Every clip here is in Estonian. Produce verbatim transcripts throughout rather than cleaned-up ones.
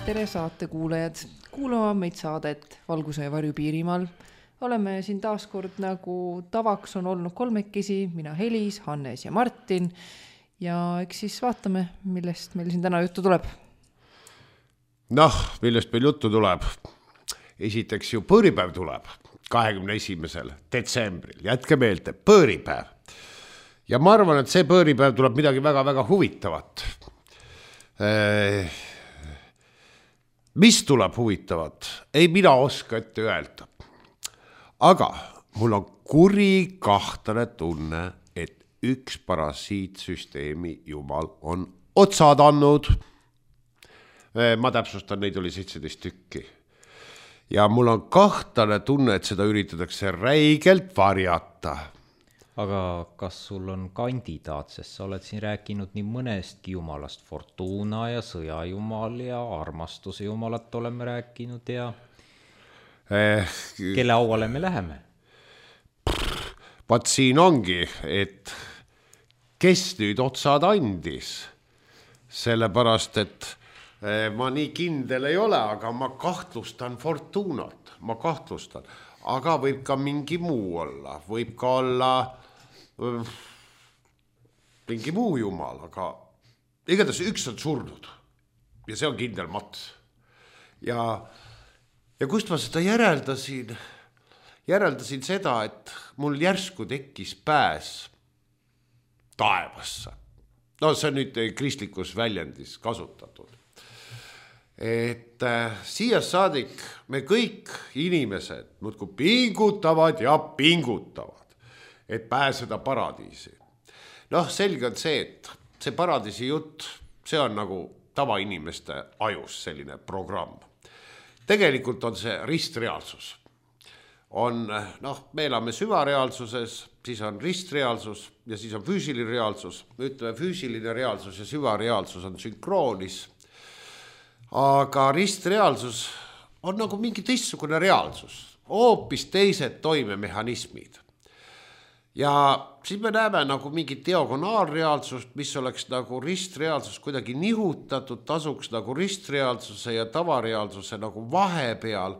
Tere saate kuulajad, kuulama meid saadet Valguse ja varju Piirimaal. Oleme siin taas kord nagu tavaks on olnud kolmekesi, mina Helis, Hannes ja Martin. Ja eks siis vaatame, millest meil siin täna juttu tuleb. Noh, millest meil juttu tuleb. Esiteks ju põõripäev tuleb kahekümne esimesel detsembril. Jätke meelde, põõripäev. Ja ma arvan, et see põõripäev tuleb midagi väga-väga huvitavat. Eee... Mis tuleb huvitavat? Ei mina oska ette öelda. Aga mul on kuri kahtlane tunne, et üks parasiitsüsteemi jumal on otsad andnud. Ma täpsustan, neid oli seitseteist tükki. Ja mul on kahtlane tunne, et seda üritatakse räigelt varjata. Aga kas sul on kandidaat, sest sa oled siin rääkinud nii mõnestki jumalast, Fortuna ja sõjajumal ja armastuse jumalat oleme rääkinud ja eh, kelle auale me läheme? Vaat siin ongi, et kes nüüd otsad andis, sellepärast, et eh, ma nii kindel ei ole, aga ma kahtlustan Fortunat, ma kahtlustan, aga võib ka mingi muu olla, võib ka olla mingi muu jumal, aga igatahes üks on surnud ja see on kindel mats. Ja, ja kust ma seda järeldasin? Järeldasin seda, et mul järsku tekkis pääs taevasse. No see on nüüd kristlikus väljendis kasutatud. Et äh, siia saadik me kõik inimesed muudkui pingutavad ja pingutavad, et pääseda paradiisi. Noh, selge on see, et see paradiisi jutt, see on nagu tavainimeste ajus selline programm. Tegelikult on see ristreaalsus. On, noh, me elame süvareaalsuses, siis on ristreaalsus ja siis on füüsiline reaalsus. Ütleme, füüsiline reaalsus ja süvareaalsus on sünkroonis. Aga ristreaalsus on nagu mingi teistsugune reaalsus. Hoopis teised toimemehhanismid. Ja siis me näeme nagu mingi diagonaalreaalsust, mis oleks nagu ristreaalsus kuidagi nihutatud, tasuks nagu ristreaalsuse ja tavareaalsuse nagu vahepeal.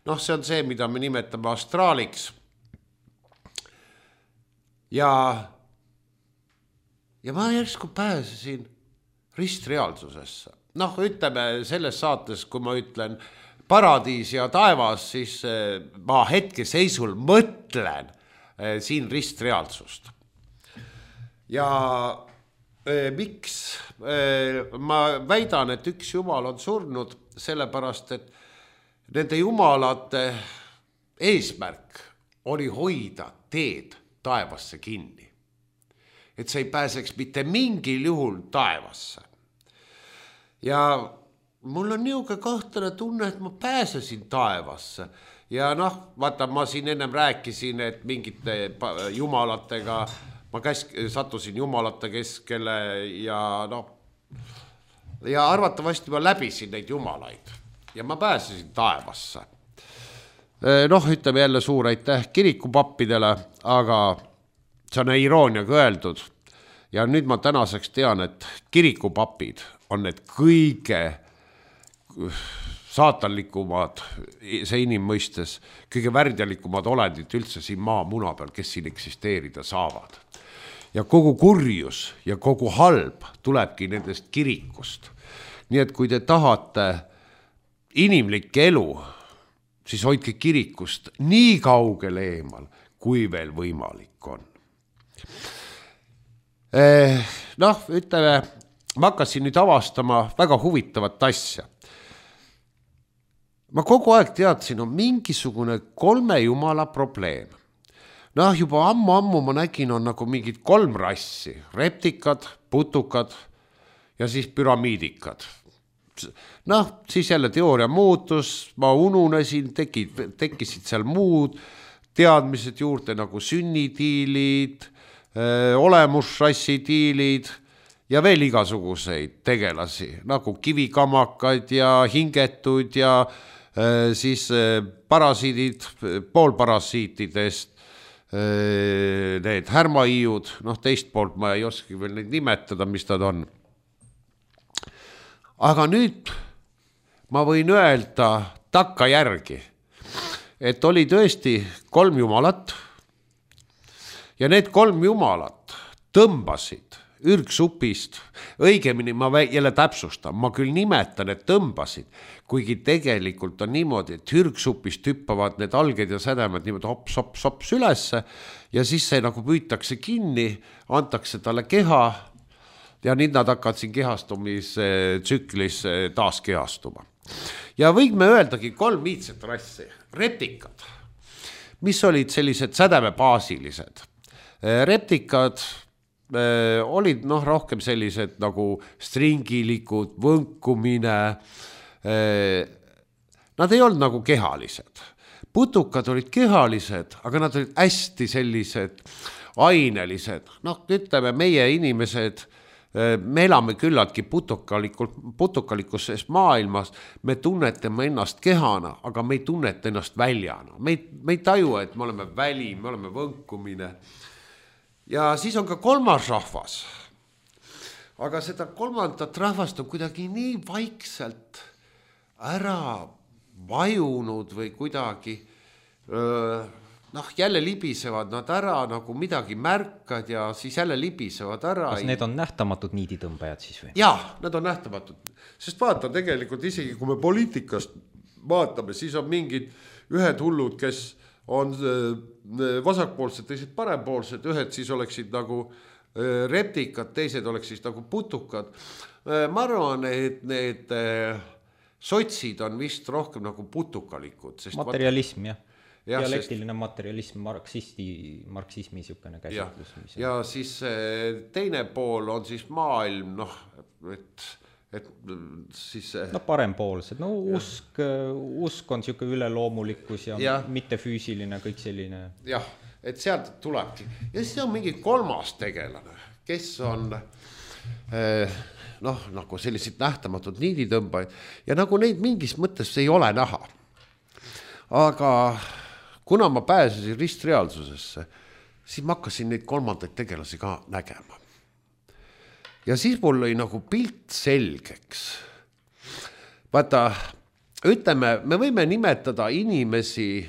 Noh, see on see, mida me nimetame astraaliks. Ja, ja ma järsku pääsesin ristreaalsusesse. Noh, ütleme selles saates, kui ma ütlen paradiis ja taevas, siis ma hetke seisul mõtlen siin ristreaalsust. Ja e, miks e, ma väidan, et üks jumal on surnud, sellepärast, et nende jumalate eesmärk oli hoida teed taevasse kinni. Et see ei pääseks mitte mingil juhul taevasse. Ja mul on niuke kahtlane tunne, et ma pääsesin taevasse. Ja noh, vaata, ma siin ennem rääkisin, et mingite jumalatega, ma käsk, sattusin jumalate keskele ja noh, ja arvatavasti ma läbisin neid jumalaid ja ma pääsesin taevasse. Noh, ütleme jälle suur aitäh kirikupappidele, aga see on irooniaga öeldud. Ja nüüd ma tänaseks tean, et kirikupapid on need kõige saatanlikumad, see inimmõistes, kõige värdjalikumad olendid üldse siin maa muna peal, kes siin eksisteerida saavad. Ja kogu kurjus ja kogu halb tulebki nendest kirikust. Nii et kui te tahate inimlik elu, siis hoidke kirikust nii kaugele eemal, kui veel võimalik on. Eh, noh, ütleme, ma hakkasin nüüd avastama väga huvitavat asja. Ma kogu aeg teadsin, on mingisugune kolme jumala probleem. Noh, juba ammu-ammu ma nägin, on nagu mingid kolm rassi. Reptikad, putukad ja siis püramiidikad. Noh, siis jälle teooria muutus, ma ununesin, tekid, tekkisid seal muud teadmised juurde nagu sünnitiilid, olemusrassitiilid ja veel igasuguseid tegelasi, nagu kivikamakaid ja hingetud ja siis parasiidid, poolparasiitidest, need härmaiiud, noh teist poolt ma ei oski veel neid nimetada, mis nad on. Aga nüüd ma võin öelda takkajärgi, et oli tõesti kolm jumalat ja need kolm jumalat tõmbasid ürgsupist, õigemini ma jälle täpsustan, ma küll nimetan, et tõmbasid, kuigi tegelikult on niimoodi, et ürgsupist hüppavad need alged ja sädemed niimoodi hops, hops, hops ülesse ja siis see nagu püütakse kinni, antakse talle keha ja nüüd nad hakkavad siin kehastumistsüklis taas kehastuma. Ja võime öeldagi kolm viitset rassi, reptikad, mis olid sellised sädemebaasilised. Reptikad olid noh, rohkem sellised nagu stringilikud, võnkumine. Nad ei olnud nagu kehalised. Putukad olid kehalised, aga nad olid hästi sellised ainelised. Noh, ütleme, meie inimesed, me elame küllaltki putukalikus maailmas, me tunnetame ennast kehana, aga me ei tunneta ennast väljana. Me ei, me ei taju, et me oleme väli, me oleme võnkumine. Ja siis on ka kolmas rahvas. Aga seda kolmandat rahvast on kuidagi nii vaikselt ära vajunud või kuidagi, noh, jälle libisevad nad ära, nagu midagi märkad ja siis jälle libisevad ära. Kas need on nähtamatud niiditõmbajad siis või? Jah, need on nähtamatud. Sest vaata, tegelikult isegi kui me poliitikast vaatame, siis on mingid ühed hullud, kes on vasakpoolsed, teised parempoolsed, ühed siis oleksid nagu reptikad, teised oleksid nagu putukad. Ma arvan, et need sotsid on vist rohkem nagu putukalikud. Sest materialism, jah. Ja, dialektiline sest... materialism, marksisti, marksismi niisugune käsitlus. Ja, ja siis teine pool on siis maailm, noh, et... et siis no parempoolsed, no usk, usk on siuke üleloomulikkus ja, ja mitte füüsiline, kõik selline. Jah, et sealt tulebki. Ja siis on mingi kolmas tegelane, kes on noh, nagu sellised nähtamatud niiditõmbaid ja nagu neid mingis mõttes ei ole näha. Aga kuna ma pääsesin ristreaalsusesse, siis ma hakkasin neid kolmandaid tegelasi ka nägema. Ja siis mul oli nagu pilt selgeks. Vaata, ütleme, me võime nimetada inimesi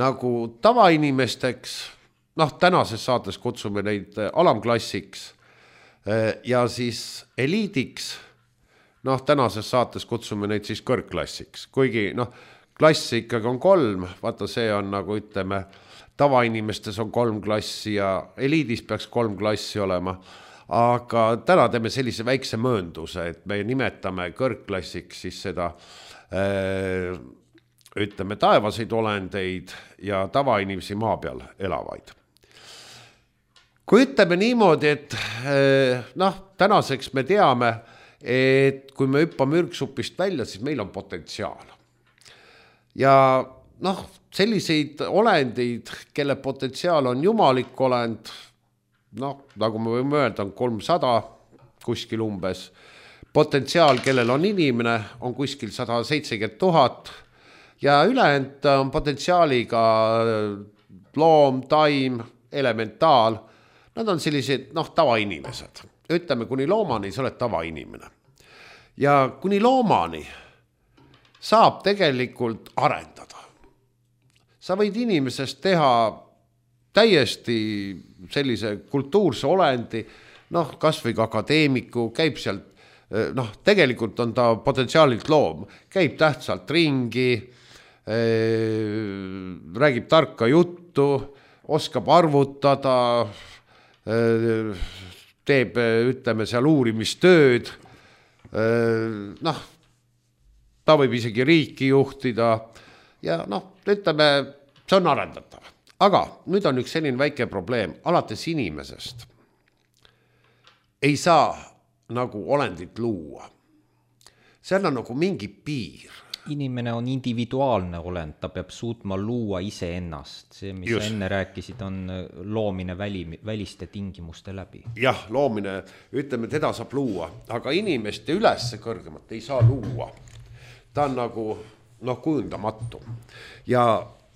nagu tavainimesteks, noh, tänases saates kutsume neid alamklassiks ja siis eliidiks, noh, tänases saates kutsume neid siis kõrgklassiks, kuigi noh, klass ikkagi on kolm, vaata see on nagu ütleme, tavainimestes on kolm klassi ja eliidis peaks kolm klassi olema. Aga täna teeme sellise väikse möönduse, et me nimetame kõrgklassiks siis seda, ütleme, taevaseid olendeid ja tavainimesi maa peal elavaid. Kui ütleme niimoodi, et noh, tänaseks me teame, et kui me hüppame ürgsupist välja, siis meil on potentsiaal. Ja noh, selliseid olendeid, kelle potentsiaal on jumalik olend, noh, nagu me võime öelda, on kolmsada kuskil umbes. Potentsiaal, kellel on inimene, on kuskil sada seitsekümmend tuhat ja ülejäänud on potentsiaaliga loom, taim, elementaal. Nad on sellised, noh, tavainimesed. Ütleme, kuni loomani sa oled tavainimene. Ja kuni loomani saab tegelikult arendada. Sa võid inimesest teha täiesti sellise kultuurse olendi, noh, kas või ka akadeemiku, käib sealt, noh, tegelikult on ta potentsiaalilt loom, käib tähtsalt ringi, räägib tarka juttu, oskab arvutada, teeb, ütleme, seal uurimistööd, noh, ta võib isegi riiki juhtida ja noh, ütleme, see on arendatav. Aga nüüd on üks selline väike probleem, alates inimesest ei saa nagu olendit luua. Seal on nagu mingi piir. Inimene on individuaalne olend, ta peab suutma luua ise ennast. See, mis Just. enne rääkisid, on loomine väli, väliste tingimuste läbi. Jah, loomine, ütleme, teda saab luua, aga inimeste ülesse kõrgemat ei saa luua. Ta on nagu, noh, kujundamatu. Ja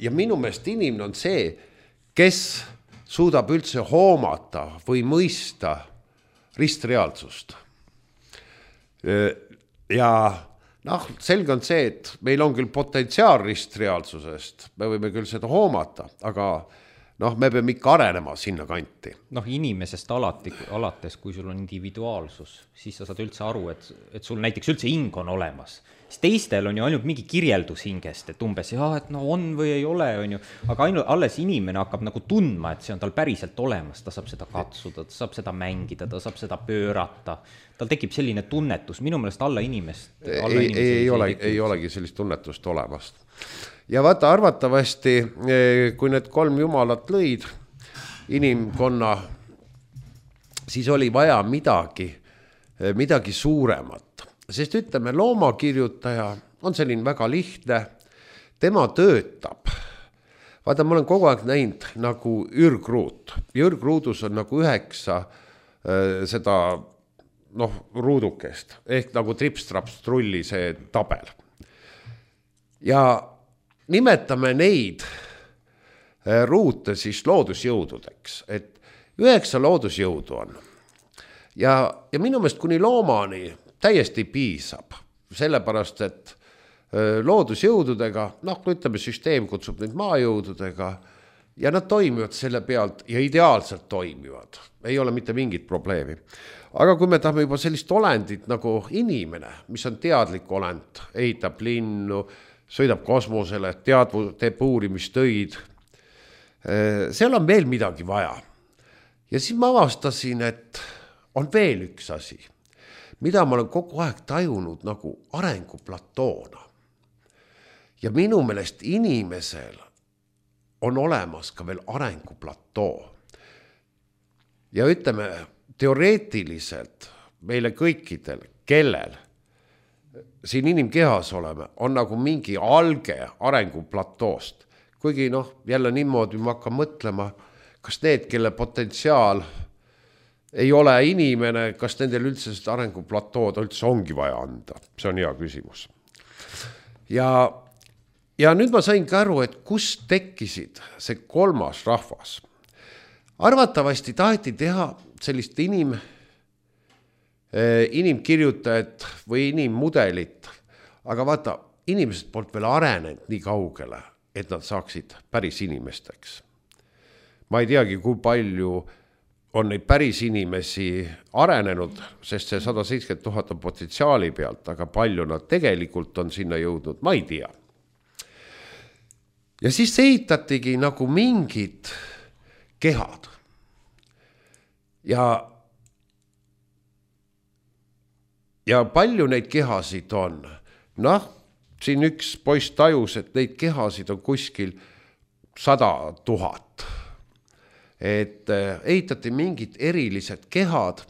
Ja minu meelest inimene on see, kes suudab üldse hoomata või mõista ristreaalsust. Ja noh, selge on see, et meil on küll potentsiaal ristreaalsusest, me võime küll seda hoomata, aga noh, me peame ikka arenema sinna kanti. Noh, inimesest alati, alates, kui sul on individuaalsus, siis sa saad üldse aru, et, et sul näiteks üldse hing on olemas. Siis teistel on ju ainult mingi kirjeldus hingest, et umbes, jah, et no on või ei ole, on ju, aga ainult alles inimene hakkab nagu tundma, et see on tal päriselt olemas, ta saab seda katsuda, ta saab seda mängida, ta saab seda pöörata, tal tekib selline tunnetus, minu meelest alla inimest. Alla ei, ei, ei, ole, ei olegi sellist tunnetust olemast. Ja vaata, arvatavasti, kui need kolm jumalat lõid inimkonna, siis oli vaja midagi, midagi suuremat. Sest ütleme, loomakirjutaja on selline väga lihtne, tema töötab. Vaata, ma olen kogu aeg näinud nagu ürgruut. Ürgruudus on nagu üheksa äh, seda noh, ruudukest, ehk nagu trips-traps-trulli see tabel. Ja nimetame neid äh, ruute siis loodusjõududeks, et üheksa loodusjõudu on. Ja, ja minu meelest kuni loomani täiesti piisab, sellepärast, et loodusjõududega, noh, ütleme, süsteem kutsub neid maajõududega ja nad toimivad selle pealt ja ideaalselt toimivad. Ei ole mitte mingit probleemi. Aga kui me tahame juba sellist olendit nagu inimene, mis on teadlik olend, ehitab linnu, sõidab kosmosele, teadvu, teeb uurimistöid, seal on veel midagi vaja. Ja siis ma avastasin, et on veel üks asi, mida ma olen kogu aeg tajunud nagu arenguplatoona. Ja minu meelest inimesel on olemas ka veel arenguplatoo. Ja ütleme, teoreetiliselt meile kõikidel, kellel siin inimkehas oleme, on nagu mingi alge arenguplatoost. Kuigi noh, jälle niimoodi ma hakkan mõtlema, kas need, kelle potentsiaal ei ole inimene, kas nendel üldse seda arenguplatood üldse ongi vaja anda? See on hea küsimus. Ja, ja nüüd ma sain ka aru, et kus tekkisid see kolmas rahvas. Arvatavasti taheti teha sellist inim, inimkirjutajat või inimmudelit, aga vaata, inimesed poolt veel arenenud nii kaugele, et nad saaksid päris inimesteks. Ma ei teagi, kui palju on neid päris inimesi arenenud, sest see sada seitsekümmend tuhat on potentsiaali pealt, aga palju nad tegelikult on sinna jõudnud, ma ei tea. Ja siis ehitatigi nagu mingid kehad. Ja, ja palju neid kehasid on. Noh, siin üks poiss tajus, et neid kehasid on kuskil sada tuhat. Et ehitati mingid erilised kehad,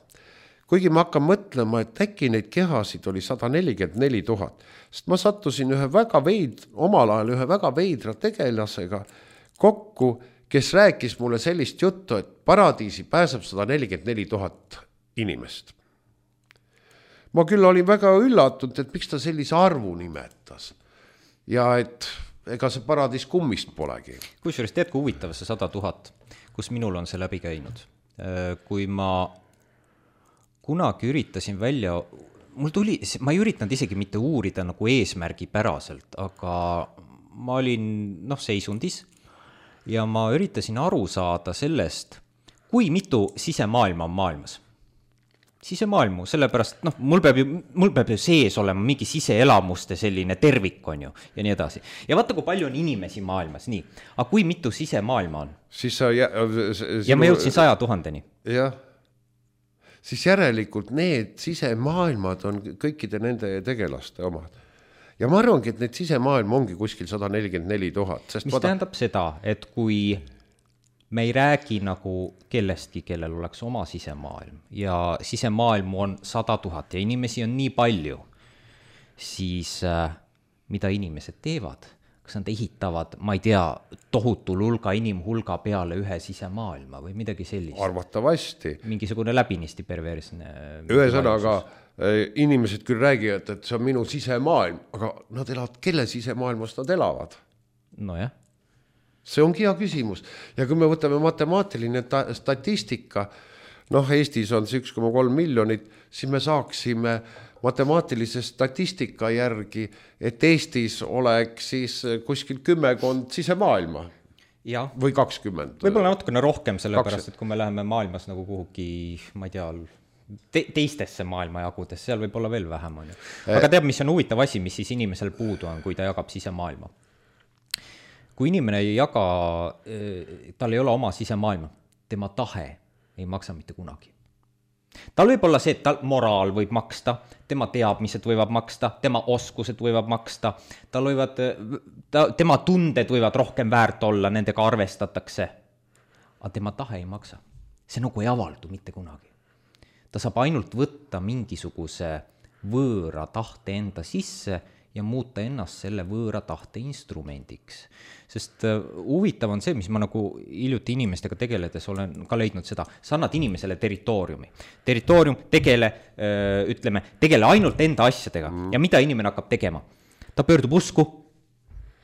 kuigi ma hakkan mõtlema, et äkki neid kehasid oli sada nelikümmend neli tuhat, sest ma sattusin ühe väga veid, omal ajal ühe väga veidra tegelasega kokku, kes rääkis mulle sellist juttu, et paradiisi pääseb sada nelikümmend neli tuhat inimest. Ma küll olin väga üllatunud, et miks ta sellise arvu nimetas ja et ega see paradiis kummist polegi. Kusjuures tead, kui huvitav see sada tuhat, kus minul on see läbi käinud. Kui ma kunagi üritasin välja, mul tuli, ma ei üritanud isegi mitte uurida nagu eesmärgi päraselt, aga ma olin noh, seisundis ja ma üritasin aru saada sellest, kui mitu sisemaailma on maailmas. Sisemaailmu, sellepärast, noh, mul peab ju, mul peab ju sees olema mingi siseelamuste selline tervik on ju ja nii edasi. Ja vaata, kui palju on inimesi maailmas, nii. Aga kui mitu sisemaailma on? Siis sa jä... ja ma jõudsin saja tuhandeni. Jah. Siis järelikult need sisemaailmad on kõikide nende tegelaste omad. Ja ma arvangi, et need sisemaailm ongi kuskil sada nelikümmend neli tuhat. Mis vaata... tähendab seda, et kui me ei räägi nagu kellestki, kellel oleks oma sisemaailm ja sisemaailm on sada tuhat ja inimesi on nii palju, siis äh, mida inimesed teevad? Kas nad ehitavad, ma ei tea, tohutul hulga inimhulga peale ühe sisemaailma või midagi sellist? Arvatavasti. Mingisugune läbinisti perversne. Ühesõnaga, inimesed küll räägivad, et see on minu sisemaailm, aga nad elavad, kelle sisemaailmas nad elavad? No jah. See ongi hea küsimus. Ja kui me võtame matemaatiline ta- statistika, noh, Eestis on see üks koma kolm miljonit, siis me saaksime matemaatilise statistika järgi, et Eestis oleks siis kuskil kümmekond sisemaailma. Ja. Või kakskümmend. Võib-olla natukene rohkem, sellepärast, et kui me läheme maailmas nagu kuhugi, ma ei tea, te teistesse maailmajagudes, seal võib olla veel vähem. On ju. Aga teab, mis on huvitav asi, mis siis inimesel puudu on, kui ta jagab sisemaailma. Kui inimene ei jaga, tal ei ole oma sisemaailma, tema tahe ei maksa mitte kunagi. Tal võib olla see, et tal moraal võib maksta, tema teadmised võivad maksta, tema oskused võivad maksta, tal võivad, ta, tema tunded võivad rohkem väärt olla, nendega arvestatakse. Aga tema tahe ei maksa. See nagu ei avaldu mitte kunagi. Ta saab ainult võtta mingisuguse võõra tahte enda sisse ja muuta ennast selle võõra tahte instrumendiks. Sest uh, huvitav on see, mis ma nagu hiljuti inimestega tegeledes olen ka leidnud seda, sa annad inimesele territooriumi. Territoorium tegele, uh, ütleme, tegele ainult enda asjadega mm. ja mida inimene hakkab tegema? Ta pöördub usku,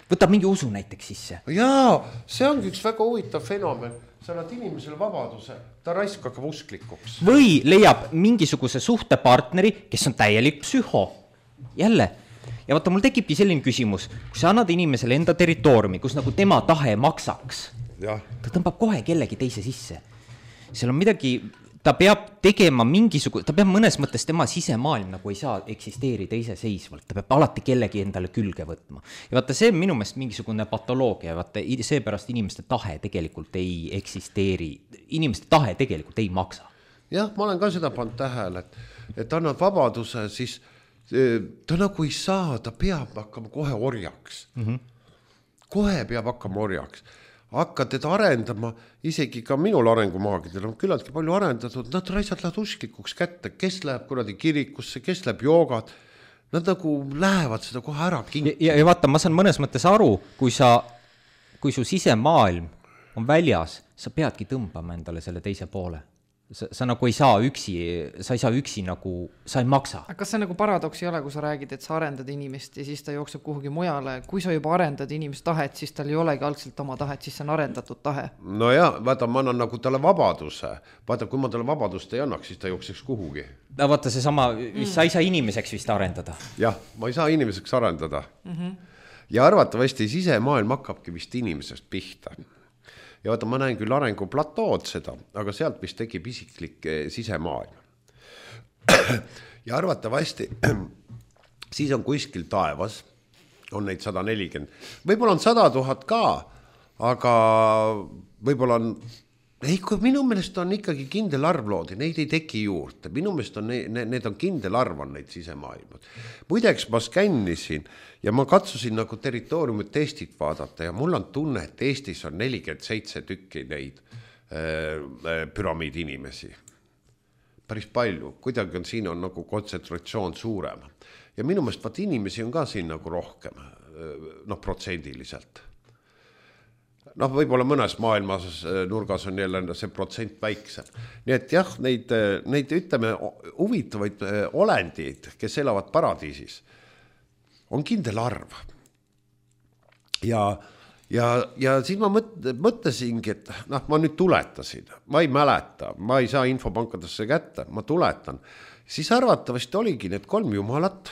võtab mingi usu näiteks sisse. Jaa, see ongi üks väga huvitav fenomen. Sa annad inimesele vabaduse, ta raisk hakkab usklikuks. Või leiab mingisuguse suhtepartneri, kes on täielik psühho. Jälle. Ja vaata, mul tekibki selline küsimus, kui sa annad inimesele enda territooriumi, kus nagu tema tahe maksaks, ja. Ta tõmbab kohe kellegi teise sisse. Seal on midagi, ta peab tegema mingisugune, ta peab mõnes mõttes tema sisemaailm nagu ei saa eksisteerida iseseisvalt, ta peab alati kellegi endale külge võtma. Ja vaata, see on minu meelest mingisugune patoloogia, vaata, seepärast inimeste tahe tegelikult ei eksisteeri, inimeste tahe tegelikult ei maksa. Jah, ma olen ka seda pannud tähele, et, et annad vabaduse, siis ta nagu ei saa, ta peab hakkama kohe orjaks. Mm-hmm. Kohe peab hakkama orjaks. Hakkad teda arendama, isegi ka minul arengumaagidel on küllaltki palju arendatud, nad raisad lähevad usklikuks kätte, kes läheb kuradi kirikusse, kes läheb joogat, nad nagu lähevad seda kohe ära kinni. Ja, ja vaata, ma saan mõnes mõttes aru, kui sa, kui su sisemaailm on väljas, sa peadki tõmbama endale selle teise poole. Sa, sa nagu ei saa üksi, sa ei saa üksi nagu, sa ei maksa. Aga kas see nagu paradoks ei ole, kui sa räägid, et sa arendad inimest ja siis ta jookseb kuhugi mujale. Kui sa juba arendad inimest tahet, siis tal ei olegi algselt oma tahet, siis see on arendatud tahe. No jah, vaata, ma annan nagu talle vabaduse. Vaata, kui ma talle vabadust ei annaks, siis ta jookseks kuhugi. No, vaata, see sama, mm. sa ei saa inimeseks vist arendada. Jah, ma ei saa inimeseks arendada. Mm-hmm. Ja arvatavasti sisemaailm hakkabki vist inimesest pihta. Ja vaata, ma näen küll arenguplatood seda, aga sealt vist tekib isiklik sisemaailm. Ja arvatavasti siis on kuskil taevas, on neid sada nelikümmend. Võib-olla on sada tuhat ka, aga võib-olla on, ei, kui minu meelest on ikkagi kindel arv loodi, neid ei teki juurde. Minu meelest on, ne, need on kindel arv on neid sisemaailmad. Muideks ma skännisin ja ma katsusin nagu territooriumit Eestit vaadata ja mul on tunne, et Eestis on nelikümmend seitse tükki neid äh, püramiidi inimesi. Päris palju, kuidagi on siin on nagu kontsentratsioon suurem. Ja minu meelest vaat inimesi on ka siin nagu rohkem, noh, protsendiliselt. Noh, võib-olla mõnes maailmas nurgas on jälle see protsent väiksem. Nii et jah, neid, neid ütleme huvitavaid olendid, kes elavad paradiisis, on kindel arv. Ja, ja, ja siis ma mõt, mõtlesingi, et noh, ma nüüd tuletasin, ma ei mäleta, ma ei saa infopankadesse kätte, ma tuletan. Siis arvatavasti oligi need kolm jumalat,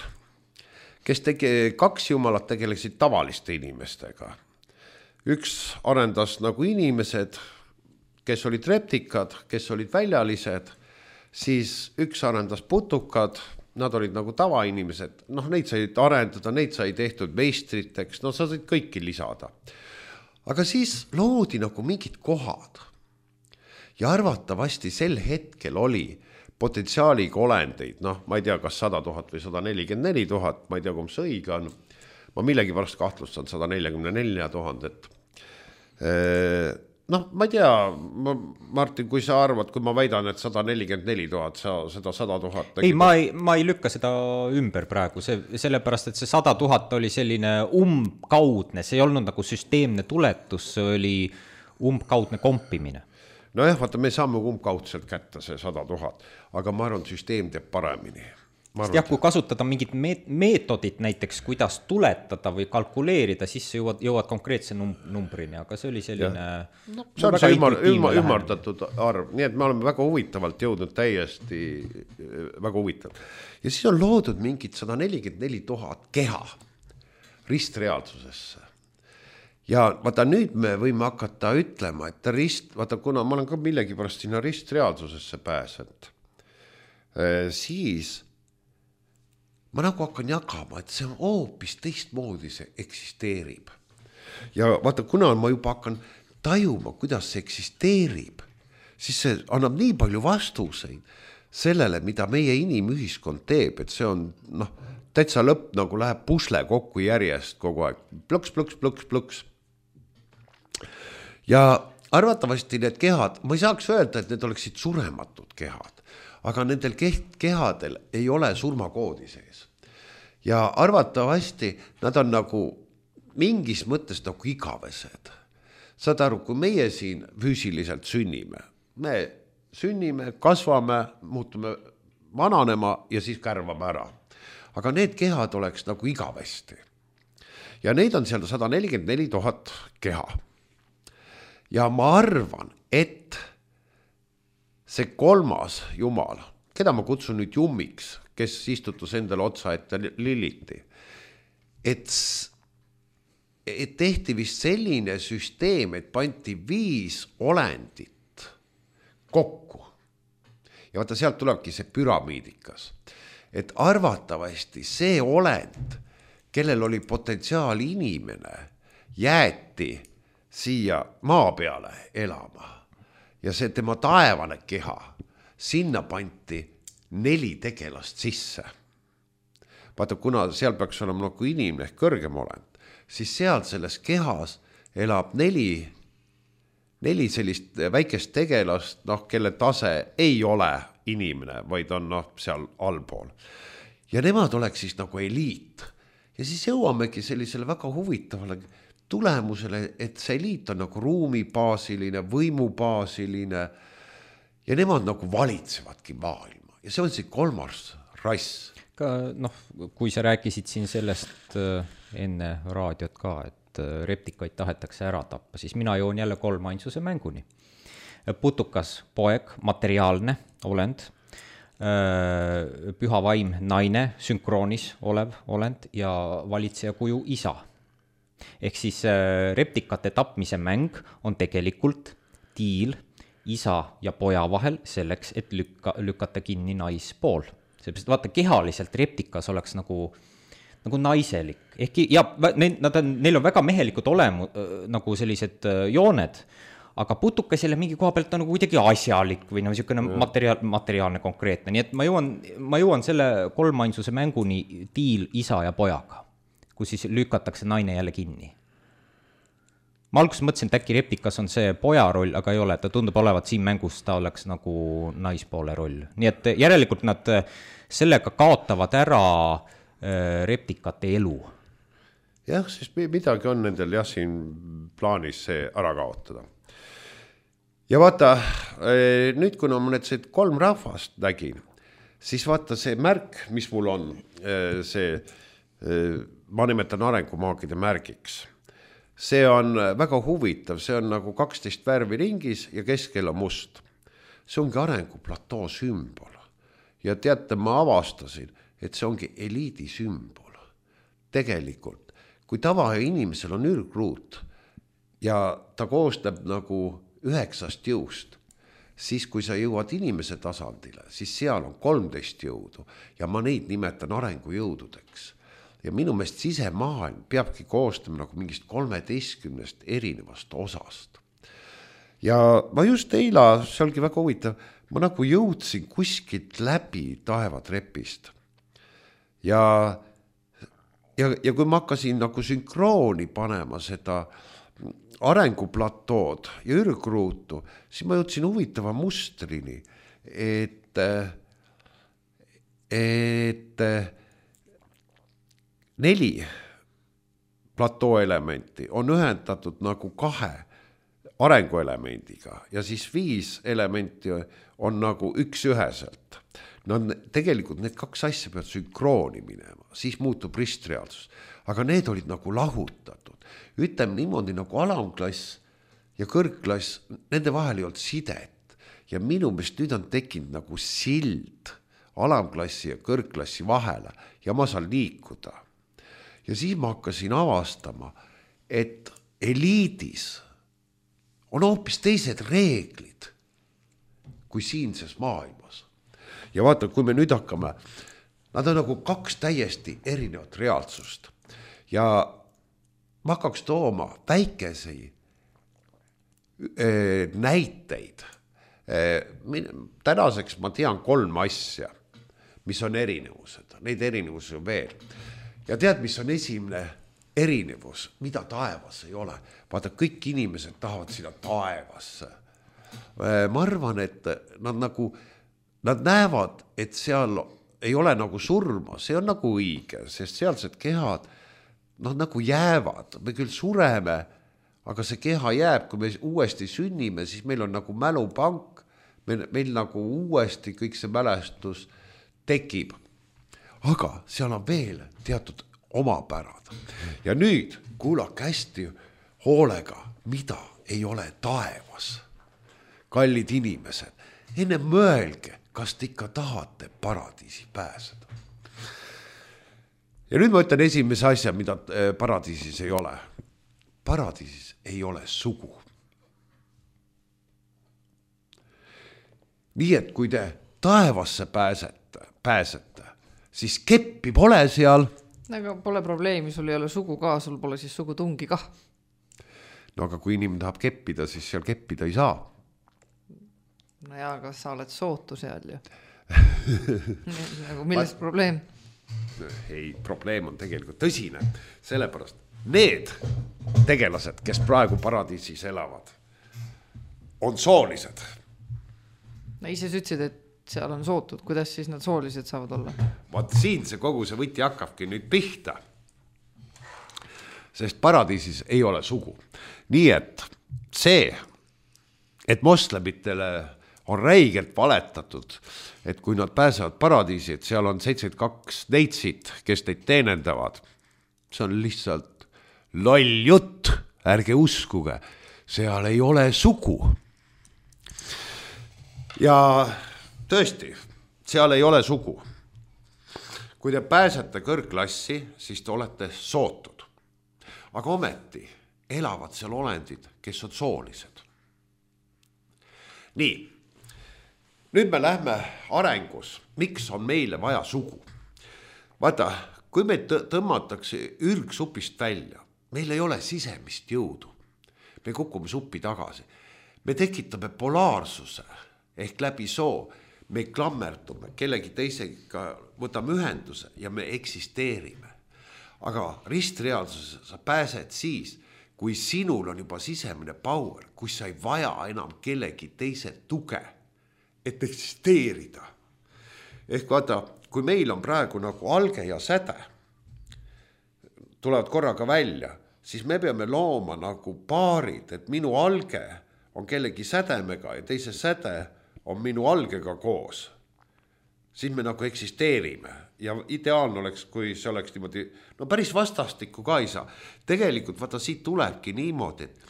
kes tege, kaks jumalat tegelesid tavaliste inimestega. Üks arendas nagu inimesed, kes olid reptikad, kes olid väljalised, siis üks arendas putukad, nad olid nagu tavainimesed, noh, neid sai arendada, neid sai tehtud meistriteks, no sa said kõiki lisada. Aga siis loodi nagu mingid kohad ja arvatavasti sel hetkel oli potentsiaaliga olendeid, noh, ma ei tea, kas sada tuhat või sada nelikümmend neli tuhat, ma ei tea, kui see õige on, ma millegi pärast kahtlustan sada nelikümmend neli tuhat. Noh, ma ei tea, ma, Martin, kui sa arvad, kui ma väidan, et sada nelikümmend neli tuhat, sa seda sada tuhat... Ei, ma ei, ma ei lükka seda ümber praegu, see, sellepärast, et see sada tuhat oli selline umbkaudne, see ei olnud nagu süsteemne tuletus, see oli umbkaudne kompimine. No jah, vaata, me saame umbkaudselt kätte see sada tuhat, aga ma arvan, süsteem teeb paremini. Sest jah, kui kasutada mingit meetodit näiteks, kuidas tuletada või kalkuleerida, siis sa jõuad, jõuad konkreetse num- numbrini, aga see oli selline no, see on see ümar, ümar, ümardatud arv, nii et me oleme väga huvitavalt jõudnud täiesti väga huvitav. Ja siis on loodud mingid sada nelikümmend neli tuhat keha ristreaalsusesse. Ja vaata nüüd me võime hakata ütlema, et rist, vaata kuna ma olen ka millegi pärast sinna ristreaalsusesse pääsenud, siis ma nagu hakkan jagama, et see on hoopis teistmoodi see eksisteerib. Ja vaata, kuna ma juba hakkan tajuma, kuidas see eksisteerib, siis see annab nii palju vastuseid sellele, mida meie inimühiskond teeb, et see on, noh, täitsa lõpp nagu läheb pusle kokku järjest kogu aeg. Plõks, plõks, plõks, plõks. Ja arvatavasti need kehad, ma ei saaks öelda, et need oleksid surematud kehad, aga nendel kehadel ei ole surmakoodi sees. Ja arvatavasti nad on nagu mingis mõttes nagu igavesed. Saad aru, kui meie siin füüsiliselt sünnime, me sünnime, kasvame, muutume vananema ja siis kärvame ära. Aga need kehad oleks nagu igavesti. Ja neid on seal sada nelikümmend neli tuhat keha. Ja ma arvan, et see kolmas jumal, keda ma kutsun nüüd jummiks, kes istutus endale otsa ette Liliti, et, et tehti vist selline süsteem, et panti viis olendit kokku. Ja vaata, sealt tulebki see püramiidikas. Et arvatavasti see olend, kellel oli potentsiaal inimene, jäeti siia maa peale elama. Ja see tema taevane keha, sinna panti neli tegelast sisse. Vaata, kuna seal peaks olema nagu inimene ehk kõrgem olend, siis seal selles kehas elab neli, neli sellist väikest tegelast, noh, kelle tase ei ole inimene, vaid on noh, seal allpool. Ja nemad oleks siis nagu eliit. Ja siis jõuamegi sellisele väga huvitavale tulemusele, et see eliit on nagu ruumibaasiline, võimubaasiline ja nemad nagu valitsevadki maailma. Ja see on see kolmas rass. Ka, noh, kui sa rääkisid siin sellest enne raadiot ka, et reptikaid tahetakse ära tappa, siis mina joon jälle kolmainsuse mänguni. Putukas poeg, materiaalne olend, püha vaim naine, sünkroonis olev olend ja valitseja kuju isa. Ehk siis reptikate tapmise mäng on tegelikult diil isa ja poja vahel selleks, et lükka, lükata kinni naispool. Sellepärast, vaata, kehaliselt reptikas oleks nagu, nagu naiselik. Ehkki, ja nad on, neil on väga mehelikud olemu, nagu sellised jooned, aga putukas jälle mingi koha pealt on nagu kuidagi asjalik või nagu niisugune materiaal, materiaalne konkreetne. Nii et ma jõuan, ma jõuan selle kolmainsuse mänguni diil isa ja pojaga, kus siis lükatakse naine jälle kinni. Ma alguses mõtlesin, et äkki reptikas on see poja roll, aga ei ole, ta tundub olevat siin mängus, ta oleks nagu naispoole roll. Nii et järelikult nad sellega kaotavad ära reptikate elu. Jah, siis midagi on nendel jah siin plaanis see ära kaotada. Ja vaata, nüüd kuna ma need kolm rahvast nägin, siis vaata see märk, mis mul on, see, ma nimetan arengumaagide märgiks. See on väga huvitav, see on nagu kaksteist värvi ringis ja keskel on must. See ongi arenguplatoo sümbol. Ja teate, ma avastasin, et see ongi eliidi sümbol. Tegelikult, kui tava inimesel on ürgruut ja ta koostab nagu üheksast jõust, siis kui sa jõuad inimese tasandile, siis seal on kolmteist jõudu ja ma neid nimetan arengujõududeks. Ja minu meelest sisemaailm peabki koostama nagu mingist kolmeteistkümnest erinevast osast. Ja ma just eila, see olgi väga huvitav, ma nagu jõudsin kuskilt läbi taevatrepist. Ja, ja, ja kui ma hakkasin nagu sünkrooni panema seda arenguplatood ja ürgruutu, siis ma jõudsin huvitava mustrini, et, et neli platoo elementi on ühendatud nagu kahe arenguelemendiga ja siis viis elementi on nagu üks üheselt. No tegelikult need kaks asja peavad sünkrooni minema, siis muutub ristreaalsus. Aga need olid nagu lahutatud. Ütleme niimoodi nagu alamklass ja kõrgklass, nende vahel ei olnud sidet. Ja minu meelest nüüd on tekkinud nagu sild alamklassi ja kõrgklassi vahele ja ma saan liikuda. Ja siis ma hakkasin avastama, et eliidis on hoopis teised reeglid kui siinses maailmas. Ja vaata, kui me nüüd hakkame, nad on nagu kaks täiesti erinevat reaalsust. Ja ma hakkaks tooma väikesi äh, näiteid. Äh, tänaseks ma tean kolm asja, mis on erinevused. Neid erinevusi on veel. Ja tead, mis on esimene erinevus, mida taevas ei ole. Vaata, kõik inimesed tahavad sinna taevasse. Äh, ma arvan, et nad nagu Nad näevad, et seal ei ole nagu surma, see on nagu õige, sest sealsed kehad nad nagu jäävad, me küll sureme, aga see keha jääb, kui me uuesti sünnime, siis meil on nagu mälupank, meil, meil nagu uuesti kõik see mälestus tekib. Aga seal on veel teatud omapärad. Ja nüüd kuulake hästi hoolega, mida ei ole taevas. Kallid inimesed, enne mõelge, kas te ikka tahate paradiisi pääseda. Ja nüüd ma ütlen esimese asja, mida paradiisis ei ole. Paradiisis ei ole sugu. Nii et kui te taevasse pääsete, pääsete siis keppi pole seal. Aga pole probleemi, sul ei ole sugu ka, sul pole siis sugutungi kah. No aga kui inimene tahab keppida, siis seal keppida ei saa. No jaa, kas sa oled sootu seal ju? Nagu millest probleem? Ei, probleem on tegelikult tõsine. Sellepärast need tegelased, kes praegu paradiisis elavad, on soolised. No ise ütlesid, et seal on sootud. Kuidas siis nad soolised saavad olla? Vaat siin see kogu see võti hakkabki nüüd pihta. Sest paradiisis ei ole sugu. Nii et see, et moslemitele on räigelt valetatud, et kui nad pääsevad paradiisi, et seal on seitsekümmend kaks neitsit, kes neid teenendavad. See on lihtsalt loll jutt, ärge uskuge, seal ei ole sugu. Ja tõesti, seal ei ole sugu. Kui te pääsete kõrgklassi, siis te olete sootud. Aga ometi elavad seal olendid, kes on soolised. Nii. Nüüd me lähme arengus, miks on meile vaja sugu. Vaata, kui me tõmmatakse ürgsupist välja, meil ei ole sisemist jõudu. Me kukume suppi tagasi. Me tekitame polaarsuse ehk läbi soo. Me klammerdume, kellegi teisega võtame ühenduse ja me eksisteerime. Aga ristreaalsuses sa pääsed siis, kui sinul on juba sisemine power, kui sa ei vaja enam kellegi teise tuge, et eksisteerida. Ehk vaata, kui meil on praegu nagu alge ja säde, tulevad korraga välja, siis me peame looma nagu paarid, et minu alge on kellegi sädemega ja teise säde on minu algega koos. Siis me nagu eksisteerime ja ideaalne oleks, kui see oleks niimoodi, no päris vastastikku ka ei saa. Tegelikult vaata siit tulebki niimoodi, et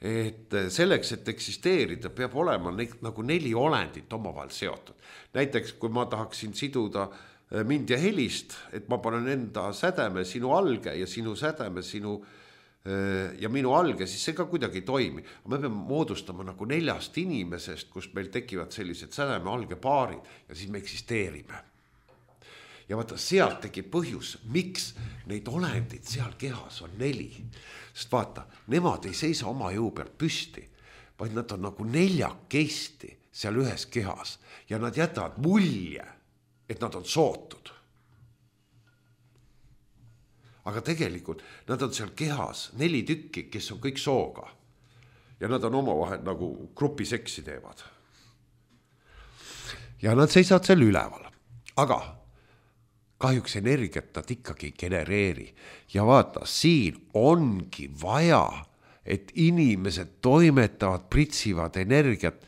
et selleks, et eksisteerida, peab olema ne, nagu neli olendit omavahel seotud. Näiteks, kui ma tahaksin siduda mind ja helist, et ma panen enda sädeme sinu alge ja sinu sädeme sinu ja minu alge, siis see ka kuidagi ei toimi. Me peame moodustama nagu neljast inimesest, kus meil tekivad sellised sädeme alge paarid ja siis me eksisteerime. Ja vaata, sealt tekib põhjus, miks neid olendid seal kehas on neli. Sest vaata, nemad ei seisa oma jõu peal püsti, vaid nad on nagu neljakesti seal ühes kehas ja nad jätavad mulje, et nad on sootud. Aga tegelikult nad on seal kehas neli tükki, kes on kõik sooga ja nad on omavahel nagu grupiseksi teevad. Ja nad seisavad seal üleval. Aga kahjuks energiat nad ikkagi genereeri. Ja vaata, siin ongi vaja et inimesed toimetavad, pritsivad energiat,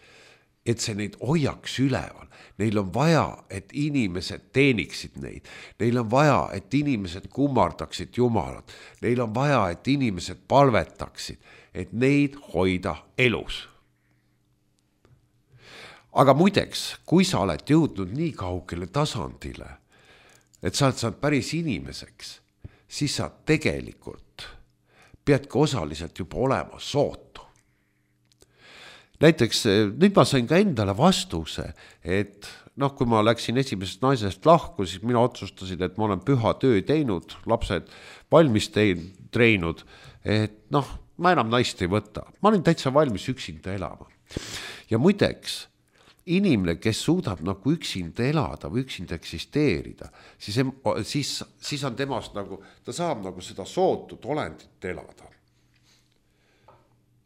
et see neid hoiaks üleval. Neil on vaja, et inimesed teeniksid neid. Neil on vaja, et inimesed kummardaksid Jumalat. Neil on vaja, et inimesed palvetaksid, et neid hoida elus. Aga muideks, kui sa oled jõudnud nii kaugele tasandile, et sa oled saanud päris inimeseks, siis sa tegelikult peadki osaliselt juba olema sootu. Näiteks nüüd ma sain ka endale vastuse, et noh, kui ma läksin esimesest naisest lahku, siis mina otsustasin, et ma olen püha töö teinud, lapsed valmis treinud, et noh, ma enam naist ei võta. Ma olin täitsa valmis üksinda elama. Ja muideks, inimene, kes suudab nagu üksinda elada või üksinda eksisteerida, siis, siis, siis on temast nagu, ta saab nagu seda sootut olendit elada.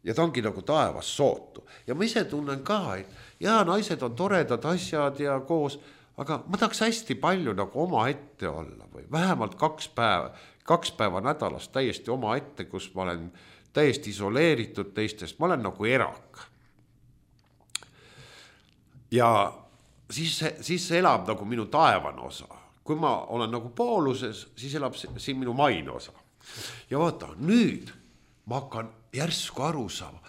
Ja ta ongi nagu taevas sootu. Ja ma ise tunnen ka, et jaa, naised on toredad asjad ja koos, aga ma tahaks hästi palju nagu oma ette olla või vähemalt kaks päeva, kaks päeva nädalas täiesti oma ette, kus ma olen täiesti isoleeritud teistest, ma olen nagu erak. Ja siis, siis elab nagu minu taevane osa. Kui ma olen nagu pooluses, siis elab siin minu maine osa. Ja vaata, nüüd ma hakkan järsku aru saama,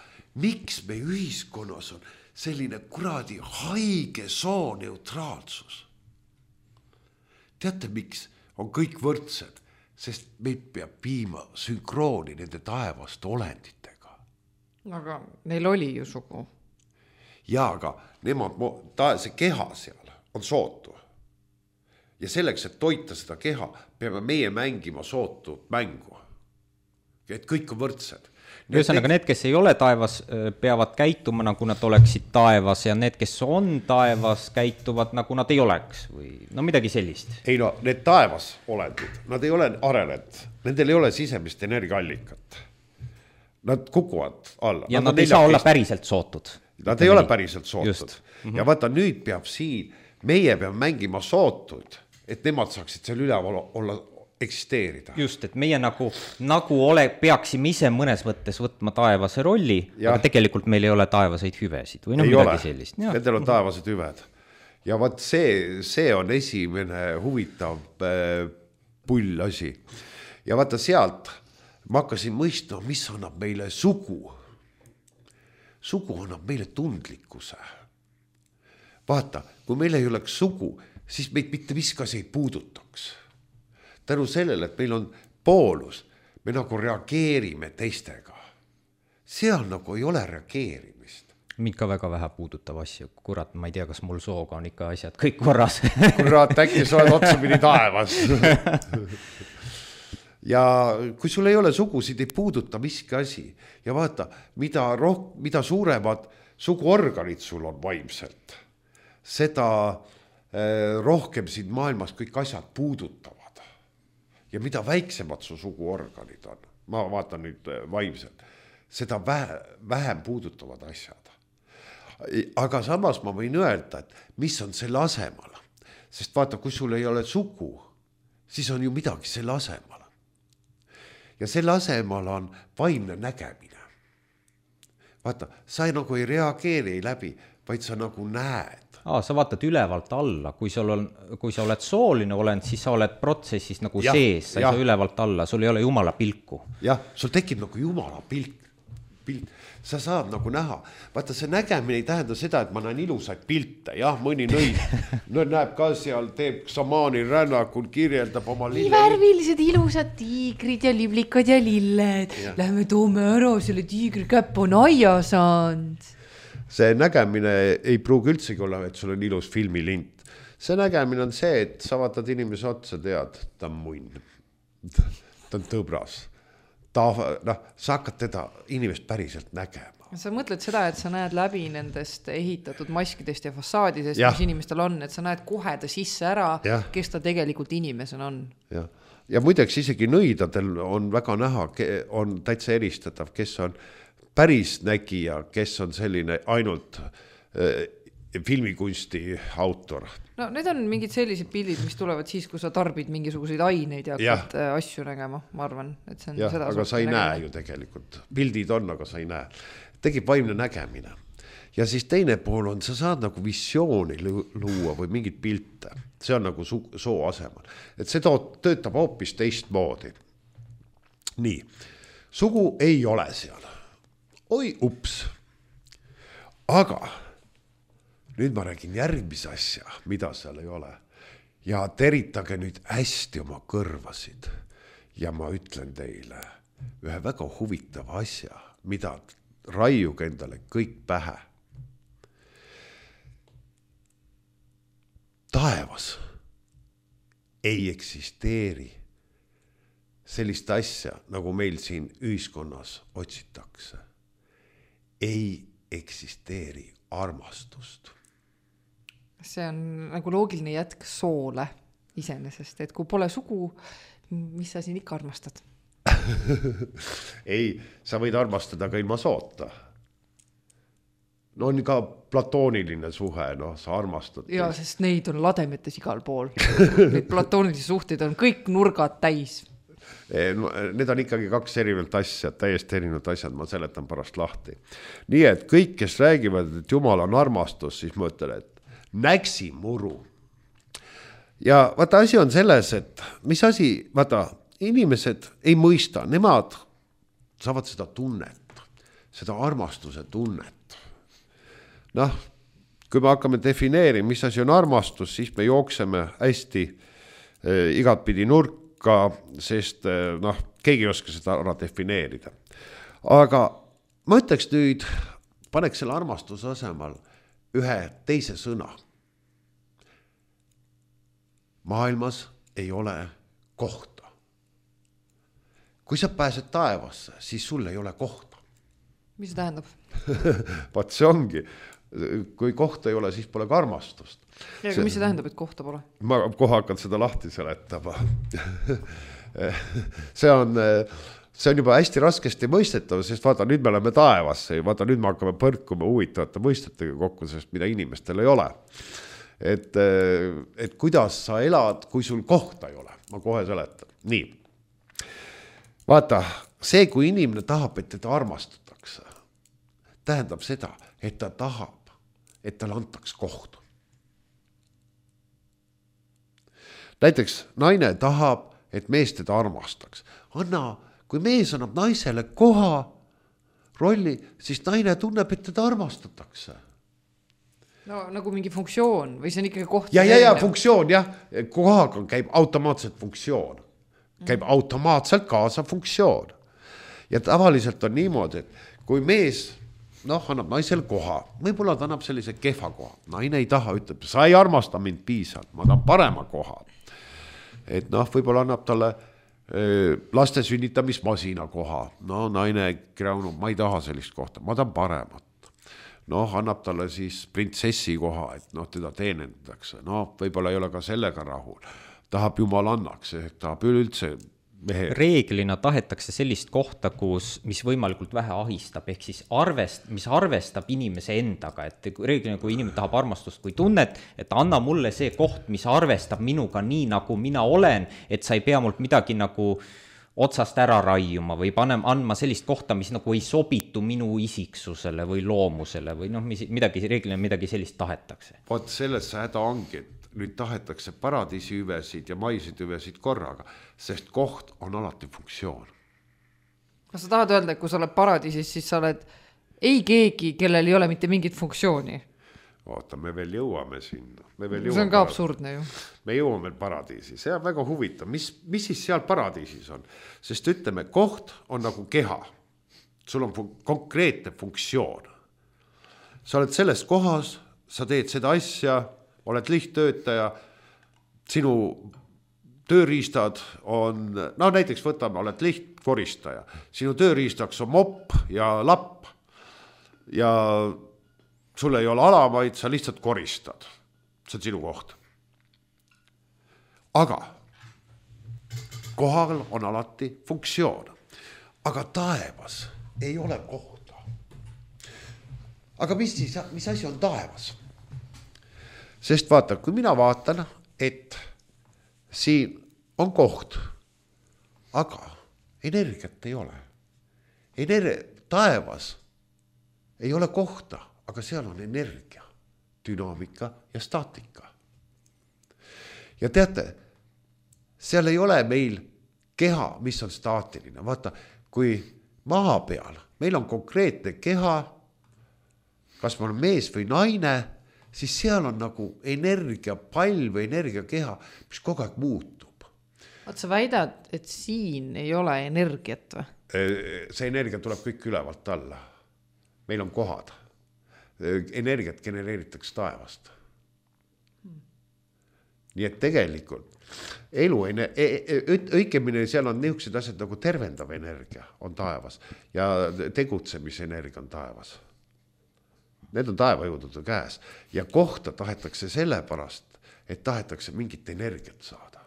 miks me ühiskonnas on selline kuradi haige soo neutraalsus. Teate, miks on kõik võrdsed? Sest meid peab viima sünkrooni nende taevaste olenditega. Aga neil oli ju sugu. Ja, aga nemad, ta, see keha seal on sootu. Ja selleks, et toita seda keha, peame meie mängima sootut mängu. Et kõik on võrdsed. Ühesõnaga, need, kes ei ole taevas, peavad käituma, nagu nad oleksid taevas ja need, kes on taevas, käituvad, nagu nad ei oleks või no midagi sellist. Ei no, need taevas olendid, nad ei ole arenenud, nendel ei ole sisemist energiaallikat. Nad kukuvad alla. Ja nad, nad ei saa olla päriselt sootud. Nad ei ole päriselt sootud. Mm-hmm. Ja vaata, nüüd peab siin, meie peab mängima sootuid, et nemad saaksid seal üleval olla eksisteerida. Just, et meie nagu, nagu ole, peaksime ise mõnes mõttes võtma taevase rolli, ja. Aga tegelikult meil ei ole taevaseid hüvesid või no ei midagi ole. Sellist. Ja. Nendel on taevased hüved. Ja vaat see, see on esimene huvitav äh, pull asi. Ja vaata sealt ma hakkasin mõistma, mis annab meile sugu. Sugu annab meile tundlikkuse. Vaata, kui meil ei oleks sugu, siis meid mitte viskas ei puudutaks. Tänu sellele, et meil on poolus, me nagu reageerime teistega. Seal nagu ei ole reageerimist. Mind ka väga vähe puudutav asju. Kurat, ma ei tea, kas mul sooga on ikka asjad kõik korras. Kurat, äkki sa oled otsamini taevas. Ja kui sul ei ole sugusid, ei puuduta miski asi. Ja vaata, mida, roh- mida suuremad suguorganid sul on vaimselt, seda eh, rohkem siin maailmas kõik asjad puudutavad. Ja mida väiksemad su suguorganid on, ma vaatan nüüd vaimselt, seda vähem puudutavad asjad. Aga samas ma võin öelda, et mis on selle asemal. Sest vaata, kui sul ei ole sugu, siis on ju midagi selle asemal. Ja selle asemal on vaimne nägemine. Vaata, sa ei, nagu ei reageeri läbi, vaid sa nagu näed. Aa, sa vaatad ülevalt alla, kui, on, kui sa oled sooline olend, siis sa oled protsessis nagu ja, sees, sa ei saa ülevalt alla, sul ei ole jumala pilku. Jah, sul tekib nagu jumala pilk, pilt, sa saad nagu näha. Vaata, see nägemine ei tähenda seda, et ma näen ilusaid pilte, jah, mõni nõid no, näeb ka seal, teeb samaani rännakul, kirjeldab oma lille. Nii värvilised ilusad tiigrid ja liblikad ja lilled. Ja. Lähme toome ära, selle tiigri käpp on aia saanud. See nägemine ei pruugi üldsegi olla, et sul on ilus filmilint. See nägemine on see, et sa vaatad inimese otsa, tead, ta on munn, ta on tõbras. Ta, noh, sa hakkad teda inimest päriselt nägema. Sa mõtled seda, et sa näed läbi nendest ehitatud maskidest ja fassaadidest, ja. Mis inimestel on, et sa näed kohe ta sisse ära, ja. Kes ta tegelikult inimesena on. Ja, ja muideks isegi nõidadel on väga näha, on täitsa eristatav, kes on päris nägija, kes on selline ainult äh, filmikunsti autor. no need on mingid sellised pildid, mis tulevad siis, kui sa tarbid mingisuguseid aineid ja hakkad ja. asju nägema, ma arvan, et see on ja, seda aga sa ei nägema. Näe ju tegelikult. Pildid on, aga sa ei näe. Tegib vaimne nägemine. Ja siis teine pool on, sa saad nagu visiooni luua või mingid pilte. See on nagu su- soo asemal. Et see toot, töötab hoopis teistmoodi. Nii, sugu ei ole seal. Oi, ups. Aga nüüd ma räägin järgmise asja, mida seal ei ole. Ja teritage nüüd hästi oma kõrvasid. Ja ma ütlen teile ühe väga huvitava asja, mida raiuge endale kõik pähe. Taevas ei eksisteeri sellist asja, nagu meil siin ühiskonnas otsitakse. Ei eksisteeri armastust. See on nagu loogiline jätk soole iseenesest, et kui pole sugu, mis sa siin ikka armastad? Ei, sa võid armastada ka ilma soota. No on ka platooniline suhe, no sa armastad. Ja, sest neid on lademetes igal pool. Neid platoonilisi suhteid on kõik nurgad täis. Need on ikkagi kaks erinevat asja, täiesti erinevat asjad, ma seletan pärast lahti. Nii et kõik, kes räägivad, et Jumal on armastus, siis ma ütlen, et näksi muru. Ja vaata, asi on selles, et mis asi, vaata, inimesed ei mõista, nemad saavad seda tunnet, seda armastuse tunnet. Noh, kui me hakkame defineerima, mis asi on armastus, siis me jookseme hästi eh, igatpidi nurka, sest eh, noh, keegi ei oska seda ära defineerida. Aga ma ütleks nüüd, paneks selle armastuse asemal ühe teise sõna. Maailmas ei ole kohta. Kui sa pääsed taevasse, siis sul ei ole kohta. Mis see tähendab? Vaat see ongi. Kui kohta ei ole, siis pole ka armastust. Ja, aga mis see tähendab, et kohta pole? Ma kohe hakkan seda lahti seletama. see, on, see on juba hästi raskesti mõistetav, sest vaata, nüüd me oleme taevasse ja vaata, nüüd me hakkame põrkuma huvitavate mõistetega kokku, sest mida inimestel ei ole. Et, et kuidas sa elad, kui sul kohta ei ole. Ma kohe seletan. Nii. Vaata, see, kui inimene tahab, et teda armastatakse, tähendab seda, et ta tahab, et tal antaks koht. Näiteks naine tahab, et mees teda armastaks. Anna, kui mees annab naisele koha rolli, siis naine tunneb, et teda armastatakse. No nagu mingi funktsioon või see on ikkagi koht? Ja, ja, ja, funktsioon, jah. Kohaga käib automaatselt funktsioon. Käib mm. automaatselt kaasa funktsioon. Ja tavaliselt on niimoodi, et kui mees noh, annab naisel koha, võib-olla ta annab sellise kehva koha. Naine ei taha, ütleb, sa ei armasta mind piisalt, ma tahan parema koha. Et noh, võib-olla annab talle e, laste sünnitamismasina koha. No naine kreunub, ma ei taha sellist kohta, ma tahan paremat. Noh, annab talle siis printsessi koha, et noh, teda teenendatakse. Noh, võib-olla ei ole ka sellega rahul. Tahab Jumal annaks, ehk tahab üldse mehe. Reeglina tahetakse sellist kohta, kus, mis võimalikult vähe ahistab, ehk siis arvest, mis arvestab inimese endaga, et reeglina, kui inimene tahab armastust kui tunnet, et anna mulle see koht, mis arvestab minuga nii, nagu mina olen, et sa ei pea mult midagi nagu otsast ära raiuma või panem, andma sellist kohta, mis nagu ei sobitu minu isiksusele või loomusele või noh, midagi, reeglina midagi sellist tahetakse. Vot selles häda ongi, et nüüd tahetakse paradiisi hüvesid ja maisid hüvesid korraga, sest koht on alati funktsioon. Kas sa tahad öelda, et kui sa oled paradiisis, siis sa oled ei keegi, kellel ei ole mitte mingit funktsiooni? Oota, me veel jõuame sinna. Me veel jõuame see on ka paradiisi. Absurdne ju. Me jõuame veel paradiisi. See on väga huvitav. Mis, mis siis seal paradiisis on? Sest ütleme, koht on nagu keha. Sul on fun- konkreetne funktsioon. Sa oled selles kohas, sa teed seda asja, oled lihttöötaja, sinu tööriistad on, no näiteks võtame, oled lihtkoristaja, sinu tööriistaks on mopp ja lapp ja sul ei ole alamaid, sa lihtsalt koristad. See on sinu koht. Aga kohal on alati funktsioon. Aga taevas ei ole kohta. Aga mis, siis, mis asi on taevas? sest vaata, kui mina vaatan, et siin on koht, aga energiat ei ole. Ener- taevas ei ole kohta, aga seal on energia, dünaamika ja staatika. Ja teate, seal ei ole meil keha, mis on staatiline. Vaata, kui maa peal meil on konkreetne keha, kas ma olen mees või naine, siis seal on nagu energia pall või energia keha, mis kogu aeg muutub. Vaat sa väidad, et siin ei ole energiat või? See energia tuleb kõik ülevalt alla. Meil on kohad. Energiat genereeritakse taevast. Nii et tegelikult elu, õigemini seal on niisugused asjad nagu tervendav energia on taevas ja tegutsemise energia on taevas. Need on taevajõudude käes ja kohta tahetakse sellepärast, et tahetakse mingit energiat saada.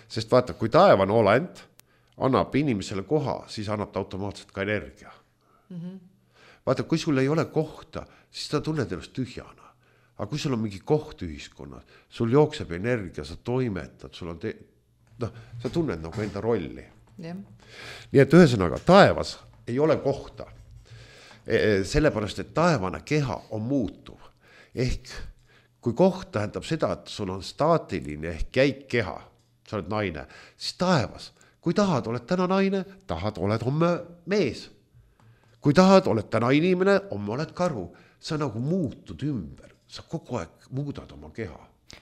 Sest vaata, kui taevan olend annab inimesele koha, siis annab ta automaatselt ka energia. Mm-hmm. Vaata, kui sul ei ole kohta, siis ta tunned ennast tühjana. Aga kui sul on mingi koht ühiskonnas, sul jookseb energia, sa toimetad, sul on te... no, sa tunned nagu enda rolli. Yeah. Nii et ühesõnaga, taevas ei ole kohta. Sellepärast, et taevane keha on muutuv. Ehk kui koht tähendab seda, et sul on staatiline ehk käik keha, sa oled naine, siis taevas, kui tahad, oled täna naine, tahad, oled homme mees. Kui tahad, oled täna inimene, homme oled karu. Sa nagu muutud ümber. Sa kogu aeg muudad oma keha.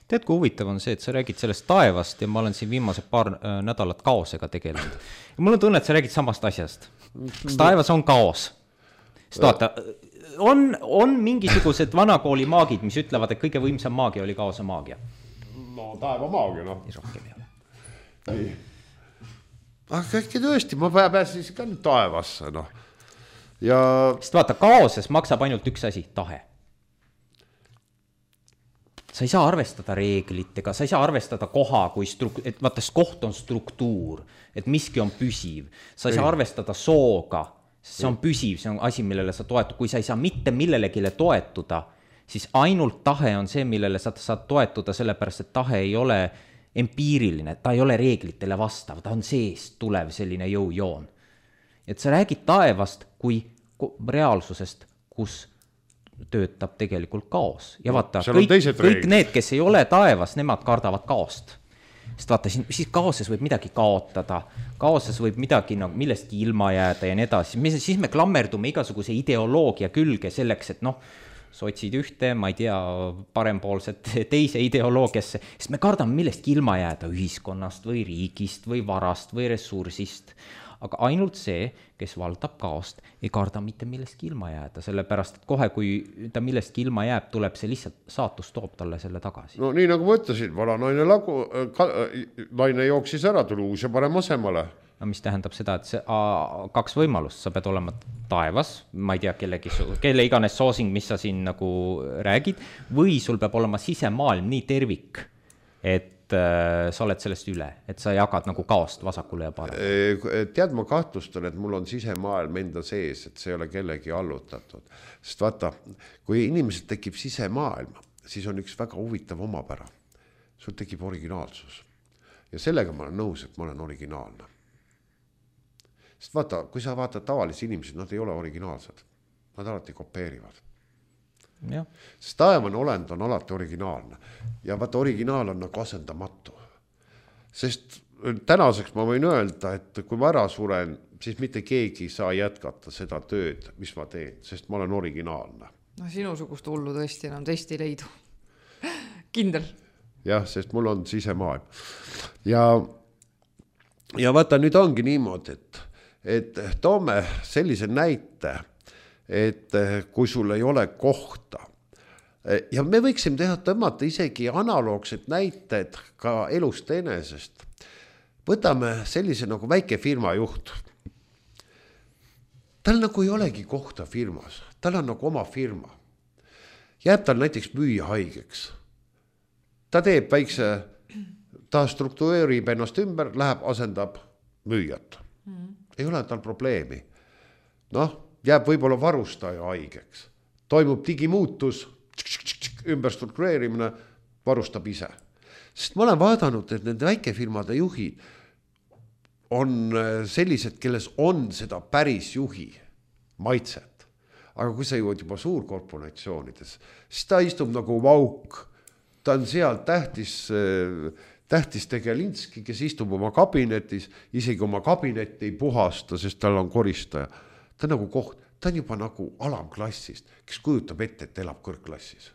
Tead, kui huvitav on see, et sa räägid sellest taevast ja ma olen siin viimase paar äh, nädalat kaosega tegelenud. Ja mul on tunne, et sa räägid samast asjast. Kas taevas on kaos? Sest vaata, on, on mingisugused vanakooli maagid, mis ütlevad, et kõige võimsam maagia oli kaose maagia. No taeva maagia, noh. Nii rohkem ei ole. Nii. Aga äkki tõesti, ma pääsin ka nüüd taevasse, noh. Ja... Sest vaata, kaoses maksab ainult üks asi, tahe. Sa ei saa arvestada reeglitega, sa ei saa arvestada koha, kui struk- et vaata, koht on struktuur, et miski on püsiv. Sa ei saa arvestada sooga, see on püsiv, see on asi, millele sa toetud. Kui sa ei saa mitte millelegile toetuda, siis ainult tahe on see, millele sa saad toetuda, sellepärast, et tahe ei ole empiiriline, ta ei ole reeglitele vastav, ta on seest tulev selline jõujoon. Et sa räägid taevast kui reaalsusest, kus töötab tegelikult kaos. Ja vaata, kõik, kõik need, kes ei ole taevas, nemad kardavad kaost. Sest vaata, siis kaoses võib midagi kaotada, kaoses võib midagi no, millestki ilma jääda ja nii edasi. Siis me klammerdume igasuguse ideoloogia külge selleks, et noh, sotsid ühte, ma ei tea, parempoolset teise ideoloogiasse, sest me kardame millestki ilma jääda ühiskonnast või riigist või varast või ressursist. Aga ainult see, kes valdab kaost, ei karda mitte millestki ilma jääda, sellepärast, et kohe, kui ta millestki ilma jääb, tuleb see lihtsalt saatus toob talle selle tagasi. No nii nagu ma ütlesin, vana naine, lagu, ka, naine jooksis ära, tuli uus ja parem asemale. No mis tähendab seda, et see a, kaks võimalust, sa pead olema taevas, ma ei tea, kellegi, kelle iganes soosing, mis sa siin nagu räägid, või sul peab olema sisemaailm nii tervik, et sa oled sellest üle, et sa jagad nagu kaost vasakule ja paremale. Tead, ma kahtlustan, et mul on sisemaailm enda sees, et see ei ole kellegi allutatud. Sest vaata, kui inimesed tekib sisemaailm, siis on üks väga huvitav omapära. Sul tekib originaalsus. Ja sellega ma olen nõus, et ma olen originaalne. Sest vaata, kui sa vaatad tavalisi inimesed, nad ei ole originaalsed. Nad alati kopeerivad. Ja. Sest taevane olend on alati originaalne ja vaata, originaal on nagu asendamatu. Sest tänaseks ma võin öelda, et kui ma ära suren, siis mitte keegi ei saa jätkata seda tööd, mis ma teen, sest ma olen originaalne. No sinusugust hullu tõesti enam teist ei leidu. Kindel. Jah, sest mul on sisemaailm. Ja, ja vaata, nüüd ongi niimoodi, et, et toome sellise näite, et kui sul ei ole kohta. Ja me võiksime teha tõmmata isegi analoogsed näited ka elust enesest. Võtame sellise nagu väike firma juht. Tal nagu ei olegi kohta firmas. Tal on nagu oma firma. Jääb tal näiteks müüa haigeks. Ta teeb väikse, ta struktureerib ennast ümber, läheb, asendab müüjat. Mm. Ei ole tal probleemi. Noh, jääb võib-olla varustaja haigeks. Toimub digimuutus, ümberstruktureerimine varustab ise. Sest ma olen vaadanud, et nende väikefirmade juhid on sellised, kelles on seda päris juhi maitset. Aga kui sa jõuad juba suurkorporatsioonides, siis ta istub nagu vauk. Ta on seal tähtis, tähtis tegelinski, kes istub oma kabinetis, isegi oma kabinetti ei puhasta, sest tal on koristaja. Ta on nagu koht, ta on juba nagu alamklassist, kes kujutab ette, et elab kõrgklassis.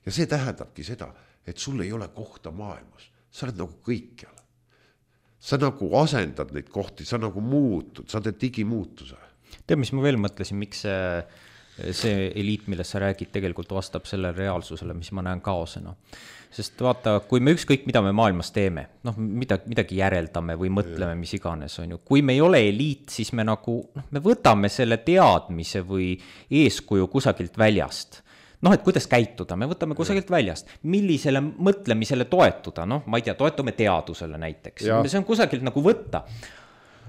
Ja see tähendabki seda, et sul ei ole kohta maailmas. Sa oled nagu kõikjal. Sa nagu asendad neid kohti, sa nagu muutud, sa teed digimuutuse. Tead, mis ma veel mõtlesin, miks see, see eliit, millest sa räägid, tegelikult vastab selle reaalsusele, mis ma näen kaosena. Sest vaata, kui me ükskõik, mida me maailmas teeme, noh, midagi, midagi järeldame või mõtleme, mis iganes on ju. Kui me ei ole eliit, siis me nagu, noh, me võtame selle teadmise või eeskuju kusagilt väljast. Noh, et kuidas käituda, me võtame kusagilt väljast, millisele mõtlemisele toetuda, noh, ma ei tea, toetume teadusele näiteks, ja. See on kusagilt nagu võtta.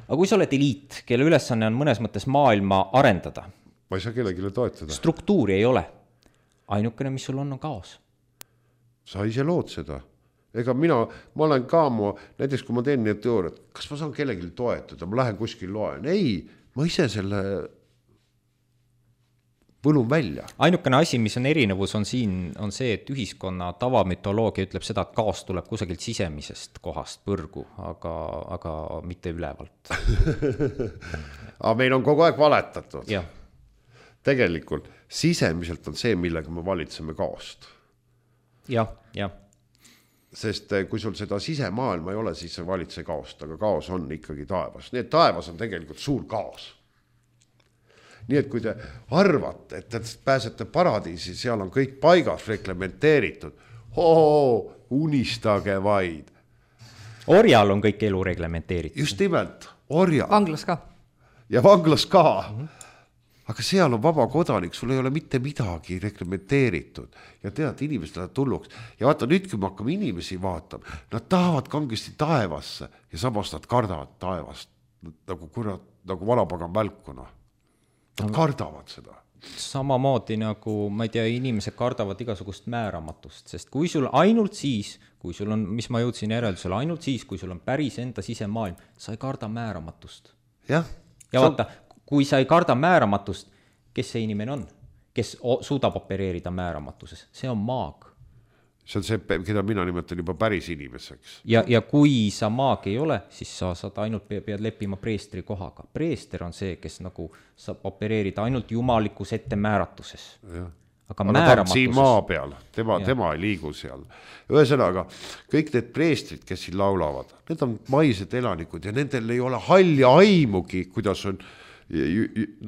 Aga kui sa oled eliit, kelle ülesanne on mõnes mõttes maailma arendada, ma ei saa kellegile toetada. Struktuuri ei ole. Ainukene, mis sul on, on kaos. Sa ise lood seda. Ega mina, ma olen ka mu, näiteks kui ma teen need teooriat, kas ma saan kellegile toetada, ma lähen kuskil loen. Ei, ma ise selle võlun välja. Ainukene asi, mis on erinevus, on siin, on see, et ühiskonna tavamütoloogia ütleb seda, et kaos tuleb kusagilt sisemisest kohast põrgu, aga, aga mitte ülevalt. Aga meil on kogu aeg valetatud. Ja. Tegelikult sisemiselt on see, millega me valitseme kaost. Jah, jah. Sest kui sul seda sisemaailma ei ole, siis see valitse kaost, aga kaos on ikkagi taevas. Nii et taevas on tegelikult suur kaos. Nii et kui te arvate, et te pääsete paradiisi, seal on kõik paigas reglementeeritud. Oo, unistage vaid. Orjal on kõik elu reglementeeritud. Just nimelt, orjal. Vanglas ka. Ja vanglas ka. Mm-hmm. Aga seal on vaba kodanik, sul ei ole mitte midagi reglementeeritud. Ja tead, inimesed lähevad tulluks. Ja vaata, nüüd kui me hakkame inimesi vaatama, nad tahavad kangesti taevasse ja samas nad kardavad taevast. Nagu, kurat, nagu vanapagan välkuna. Nad kardavad seda. Samamoodi nagu, ma ei tea, inimesed kardavad igasugust määramatust, sest kui sul ainult siis, kui sul on, mis ma jõudsin järeldusele, ainult siis, kui sul on päris enda sisemaailm, sa ei karda määramatust. Ja, ja vaata, kui sa ei karda määramatust, kes see inimene on, kes suudab opereerida määramatuses, see on maag. See on see, keda mina nimetan juba päris inimeseks. Ja, ja kui sa maag ei ole, siis sa saad ainult pead leppima preestri kohaga. Preester on see, kes nagu saab opereerida ainult jumalikus ettemääratuses. Ja. Aga, aga ta on siin maa peal, tema, tema ei liigu seal. Ühesõnaga, kõik need preestrid, kes siin laulavad, need on maised elanikud ja nendel ei ole halli aimugi, kuidas on,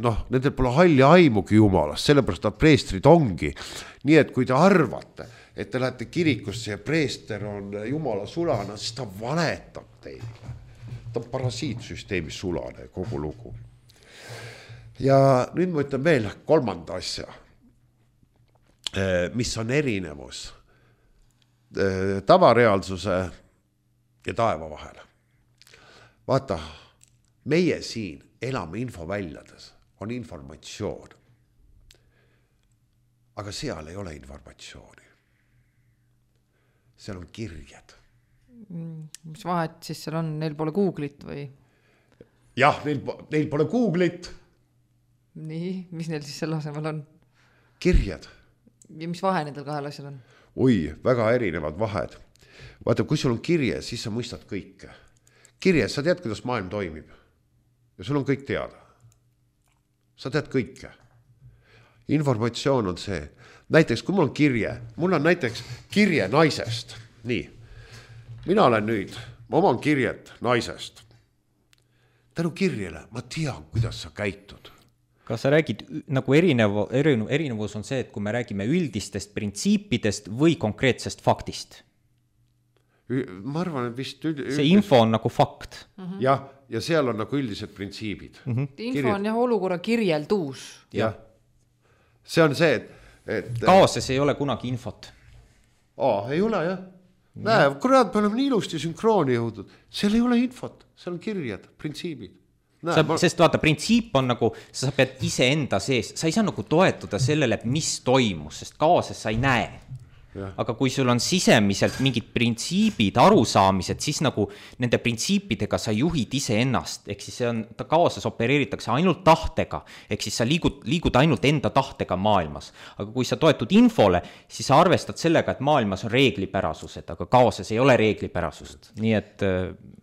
noh, nendel pole halli aimugi jumalast, sellepärast ta preestrid ongi. Nii et kui te arvate, et te lähete kirikusse ja preester on jumala sulane, siis ta valetab teile. Ta on parasiitsüsteemi sulane, kogu lugu. Ja nüüd ma ütlen veel kolmanda asja, mis on erinevus tavareaalsuse ja taeva vahel. Vaata, meie siin elame infoväljades, on informatsioon. Aga seal ei ole informatsiooni. Seal on kirjad. Mis vahet siis seal on? Neil pole Google'it või? Jah, neil, neil pole Google'it. Nii, mis neil siis selle asemel on? Kirjad. Ja mis vahe nendel kahel asjal on? Oi, väga erinevad vahed. Vaata, kui sul on kirje, siis sa mõistad kõike. Kirje, sa tead, kuidas maailm toimib. Ja sul on kõik teada. Sa tead kõike. Informatsioon on see. Näiteks, kui mul on kirje, mul on näiteks kirje naisest. Nii, mina olen nüüd, ma oman kirjet naisest. Tänu kirjele, ma tean, kuidas sa käitud. Kas sa räägid, nagu erinev, erinevus on see, et kui me räägime üldistest printsiipidest või konkreetsest faktist? Ma arvan, et vist... Üld... See info on nagu fakt. Mm-hmm. Jah, ja seal on nagu üldised printsiibid. Mm-hmm. Info Kirjed. On jah olukorra kirjelduus. Jah, see on see, et... et kaoses ei ole kunagi infot. Aa, ei ole jah. Näe, kurat, me oleme nii ilusti sünkrooni jõudnud. Seal ei ole infot, seal on kirjad, printsiibid. Sa, ma... sest vaata, printsiip on nagu, sa pead ise enda sees, sa ei saa nagu toetuda sellele, mis toimus, sest kaoses sa ei näe. Ja. Aga kui sul on sisemiselt mingid printsiibid, arusaamised, siis nagu nende printsiipidega sa juhid ise ennast, ehk siis see on, ta kaoses opereeritakse ainult tahtega, ehk siis sa liigud, liigud ainult enda tahtega maailmas. Aga kui sa toetud infole, siis sa arvestad sellega, et maailmas on reeglipärasused, aga kaoses ei ole reeglipärasust. Nii et...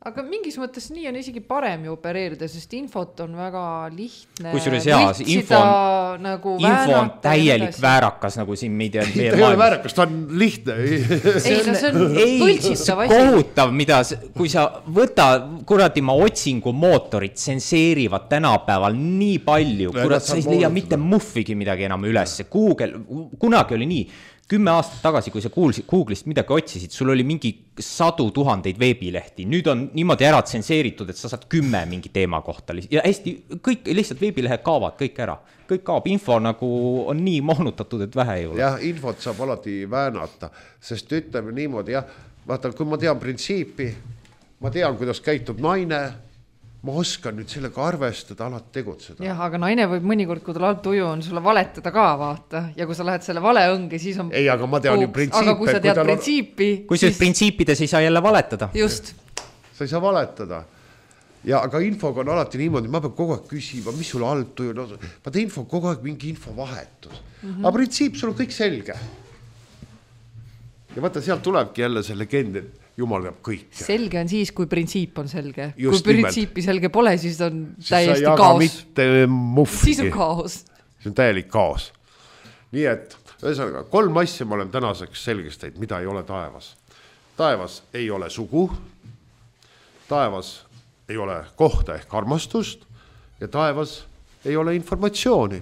Aga mingis mõttes nii on isegi parem ju opereerida, sest infot on väga lihtne kusjuures jaa, info on, nagu info on täielik väärakas, nagu siin meid ta ei ole väärakas, ta on lihtne. Ei, no see on võltsitav asi. Kohutav, mida, kui sa võta, kuradi ma otsingu mootorid tsenseerivad tänapäeval nii palju, kurat, sa ei leia mitte muffigi midagi enam üles. Google, kunagi oli nii, kümme aastat tagasi, kui sa kuulsid, Google'ist midagi otsisid, sul oli mingi sadu tuhandeid veebilehti. Nüüd on niimoodi ära tsenseeritud, et sa saad kümme mingi teema kohta. Ja hästi, kõik lihtsalt veebilehed kaavad kõik ära. Kõik kaab, info nagu on nii moonutatud, et vähe ei ole. Jah, infot saab alati väänata, sest ütleme niimoodi, jah, vaata, kui ma tean printsiipi, ma tean, kuidas käitub naine, ma oskan nüüd sellega arvestada, alati tegutseda. Jah, aga naine võib mõnikord, kui tal alt tuju on, sulle valetada ka, vaata. Ja kui sa lähed selle vale õnge, siis on... Ei, aga ma tean ju printsiipe. Aga kui sa tead kui printsiipi... On... Kui siis printsiipides ei saa jälle valetada. Just. Sa ei saa valetada. Ja aga infoga on alati niimoodi, ma pean kogu aeg küsima, mis sul alt tuju on. Vaata info kogu aeg mingi infovahetus. Mm-hmm. Aga printsiip, sul on kõik selge. Ja vaata, sealt tulebki jälle see legend, et Jumal teab kõik. Selge on siis, kui printsiip on selge. Just kui printsiipi nimelt. Selge pole, siis on siis täiesti kaos. Mitte siis on kaos. See on täielik kaos. Nii et, ühesõnaga, kolm asja ma olen tänaseks selgest teinud, mida ei ole taevas. Taevas ei ole sugu, taevas ei ole kohta ehk armastust ja taevas ei ole informatsiooni.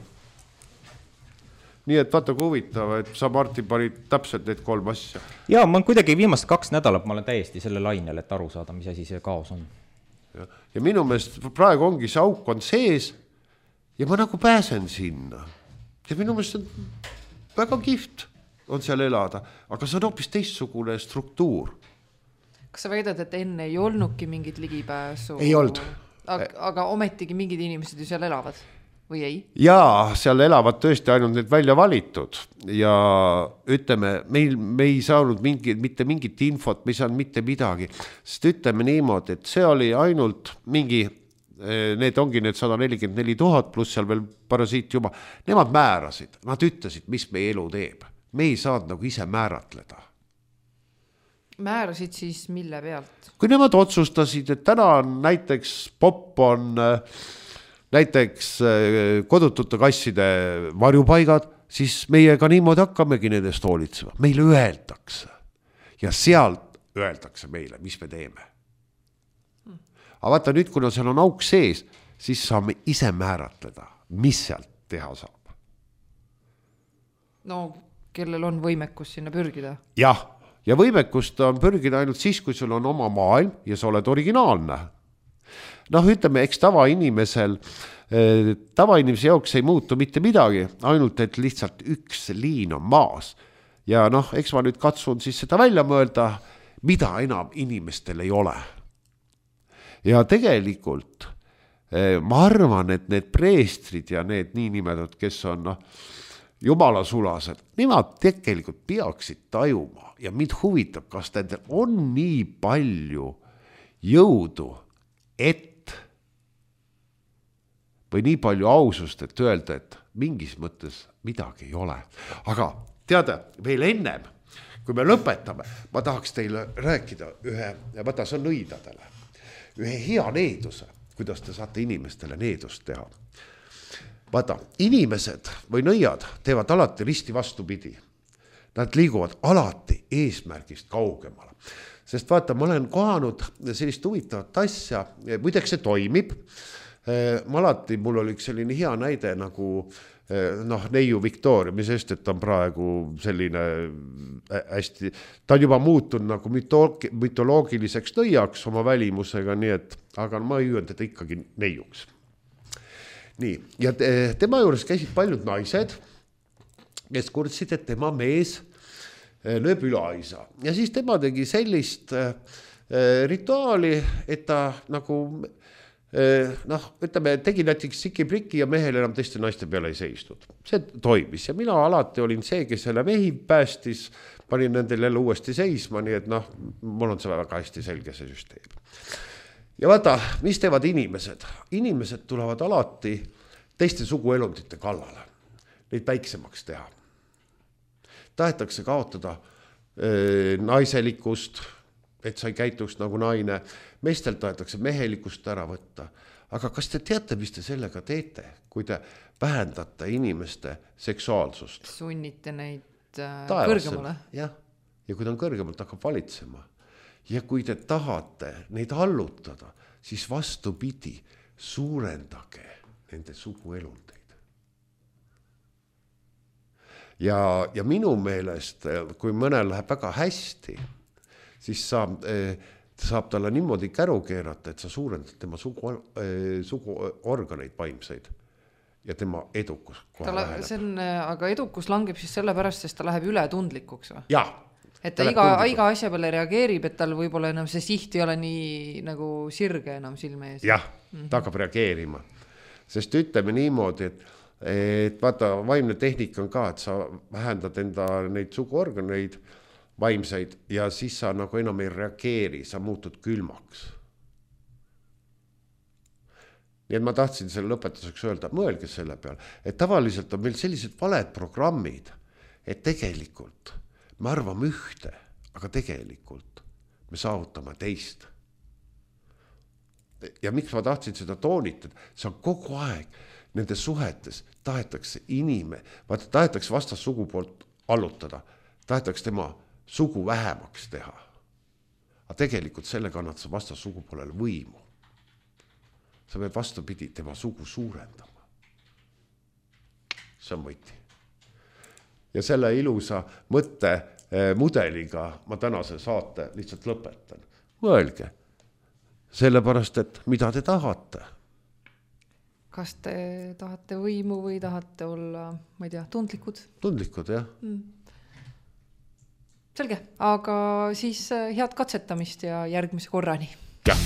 Nii et vaata kui huvitav, et sa Martin panid täpselt need kolm asja. Jaa, ma olen kuidagi viimast kaks nädalat, ma olen täiesti selle lainel, et aru saada, mis asi see kaos on. Ja, ja minu meelest praegu ongi see auk on sees ja ma nagu pääsen sinna. Ja minu meelest on väga kihvt on seal elada, aga see on hoopis teistsugune struktuur. Kas sa väidad, et enne ei olnudki mingit ligipääsu? Ei olnud. Aga, aga ometigi mingid inimesed ju seal elavad? Või ei? Jaa, seal elavad tõesti ainult need välja valitud ja ütleme, meil, me ei saanud mingi, mitte mingit infot, mis on mitte midagi, sest ütleme niimoodi, et see oli ainult mingi, need ongi need sada nelikümmend neli tuhat pluss seal veel parasiit juba, nemad määrasid, nad ütlesid, mis meie elu teeb. Me ei saanud nagu ise määratleda. Määrasid siis mille pealt? Kui nemad otsustasid, et täna on näiteks pop on... näiteks kodutute kasside varjupaigad, siis meie ka niimoodi hakkamegi nendest hoolitsema. Meile öeldakse ja sealt öeldakse meile, mis me teeme. Aga vaata nüüd, kuna seal on auk sees, siis saame ise määratleda, mis sealt teha saab. No, kellel on võimekus sinna pürgida? Jah, ja võimekust on pürgida ainult siis, kui sul on oma maailm ja sa oled originaalne. Noh, ütleme, eks tavainimesel, tavainimese jaoks ei muutu mitte midagi, ainult et lihtsalt üks liin on maas. Ja noh, eks ma nüüd katsun siis seda välja mõelda, mida enam inimestel ei ole. Ja tegelikult ma arvan, et need preestrid ja need niinimedad, kes on noh, jumalasulased, nemad tegelikult peaksid tajuma ja mind huvitab, kas nendel on nii palju jõudu, et või nii palju ausust, et öelda, et mingis mõttes midagi ei ole. Aga teada, veel ennem, kui me lõpetame, ma tahaks teile rääkida ühe, vaata, see on nõidadele, ühe hea needuse, kuidas te saate inimestele needust teha. Vaata, inimesed või nõiad teevad alati risti vastupidi. Nad liiguvad alati eesmärgist kaugemale. Sest vaata, ma olen kohanud sellist huvitavat asja, muideks see toimib. Ma alati, mul oli üks selline hea näide nagu noh, neiu Victoria, mis sest, et ta on praegu selline hästi, ta on juba muutunud nagu mütoloogiliseks nõiaks oma välimusega, nii et, aga ma ei öelnud, et ikkagi neiuks. Nii, ja tema juures käisid paljud naised, kes kurtsid, et tema mees lööb üleaisa. Ja siis tema tegi sellist rituaali, et ta nagu noh, ütleme, tegi näiteks siki-priki ja mehel enam teiste naiste peale ei seistud. See toimis ja mina alati olin see, kes selle mehi päästis, panin nendel jälle uuesti seisma, nii et noh, mul on see väga hästi selge see süsteem. Ja vaata, mis teevad inimesed? Inimesed tulevad alati teiste suguelundite kallale, neid väiksemaks teha. Tahetakse kaotada e, naiselikust, et sa ei käituks nagu naine, meestelt tahetakse mehelikust ära võtta. Aga kas te teate, mis te sellega teete, kui te vähendate inimeste seksuaalsust? Sunnite neid äh, Taevasel. kõrgemale. Jah, ja kui ta on kõrgemalt, hakkab valitsema. Ja kui te tahate neid allutada, siis vastupidi, suurendage nende suguelundeid. Ja, ja minu meelest, kui mõnel läheb väga hästi, siis saab, saab talle niimoodi käru keerata, et sa suurendad tema sugu, suguorganeid vaimseid ja tema edukus kohe ta väheneb. See on, aga edukus langeb siis selle pärast, sest ta läheb ületundlikuks. Või? Jah. Et ta, ta iga, iga asja peale reageerib, et tal võib-olla enam see siht ei ole nii nagu sirge enam silme ees. Jah, mm-hmm. ta hakkab reageerima. Sest ütleme niimoodi, et, et vaata, vaimne tehnika on ka, et sa vähendad enda neid suguorganeid vaimseid ja siis sa nagu enam ei reageeri, sa muutud külmaks. Nii et ma tahtsin selle lõpetuseks öelda, mõelge selle peal, et tavaliselt on meil sellised valed programmid, et tegelikult me arvame ühte, aga tegelikult me saavutame teist. Ja miks ma tahtsin seda toonitada, see on kogu aeg nende suhetes tahetakse inime, vaata tahetakse vastas sugu poolt allutada, tahetakse tema sugu vähemaks teha. Aga tegelikult sellega annad sa vastas sugu poolele võimu. Sa pead vastupidi tema sugu suurendama. See on võti. Ja selle ilusa mõtte mudeliga ma tänase saate lihtsalt lõpetan. Mõelge, sellepärast, et mida te tahate? Kas te tahate võimu või tahate olla, ma ei tea, tundlikud? Tundlikud, jah. Mm. Selge, aga siis head katsetamist ja järgmise korrani. Jah.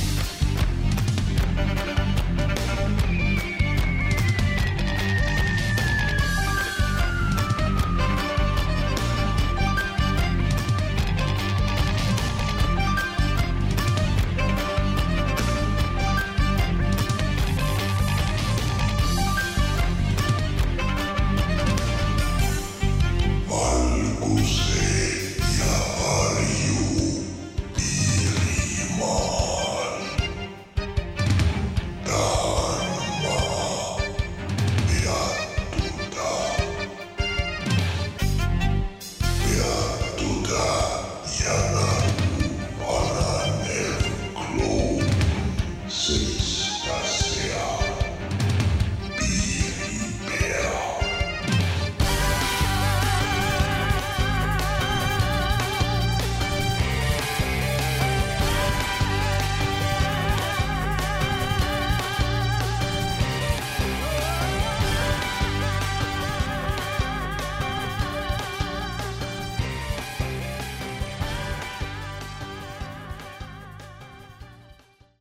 Six.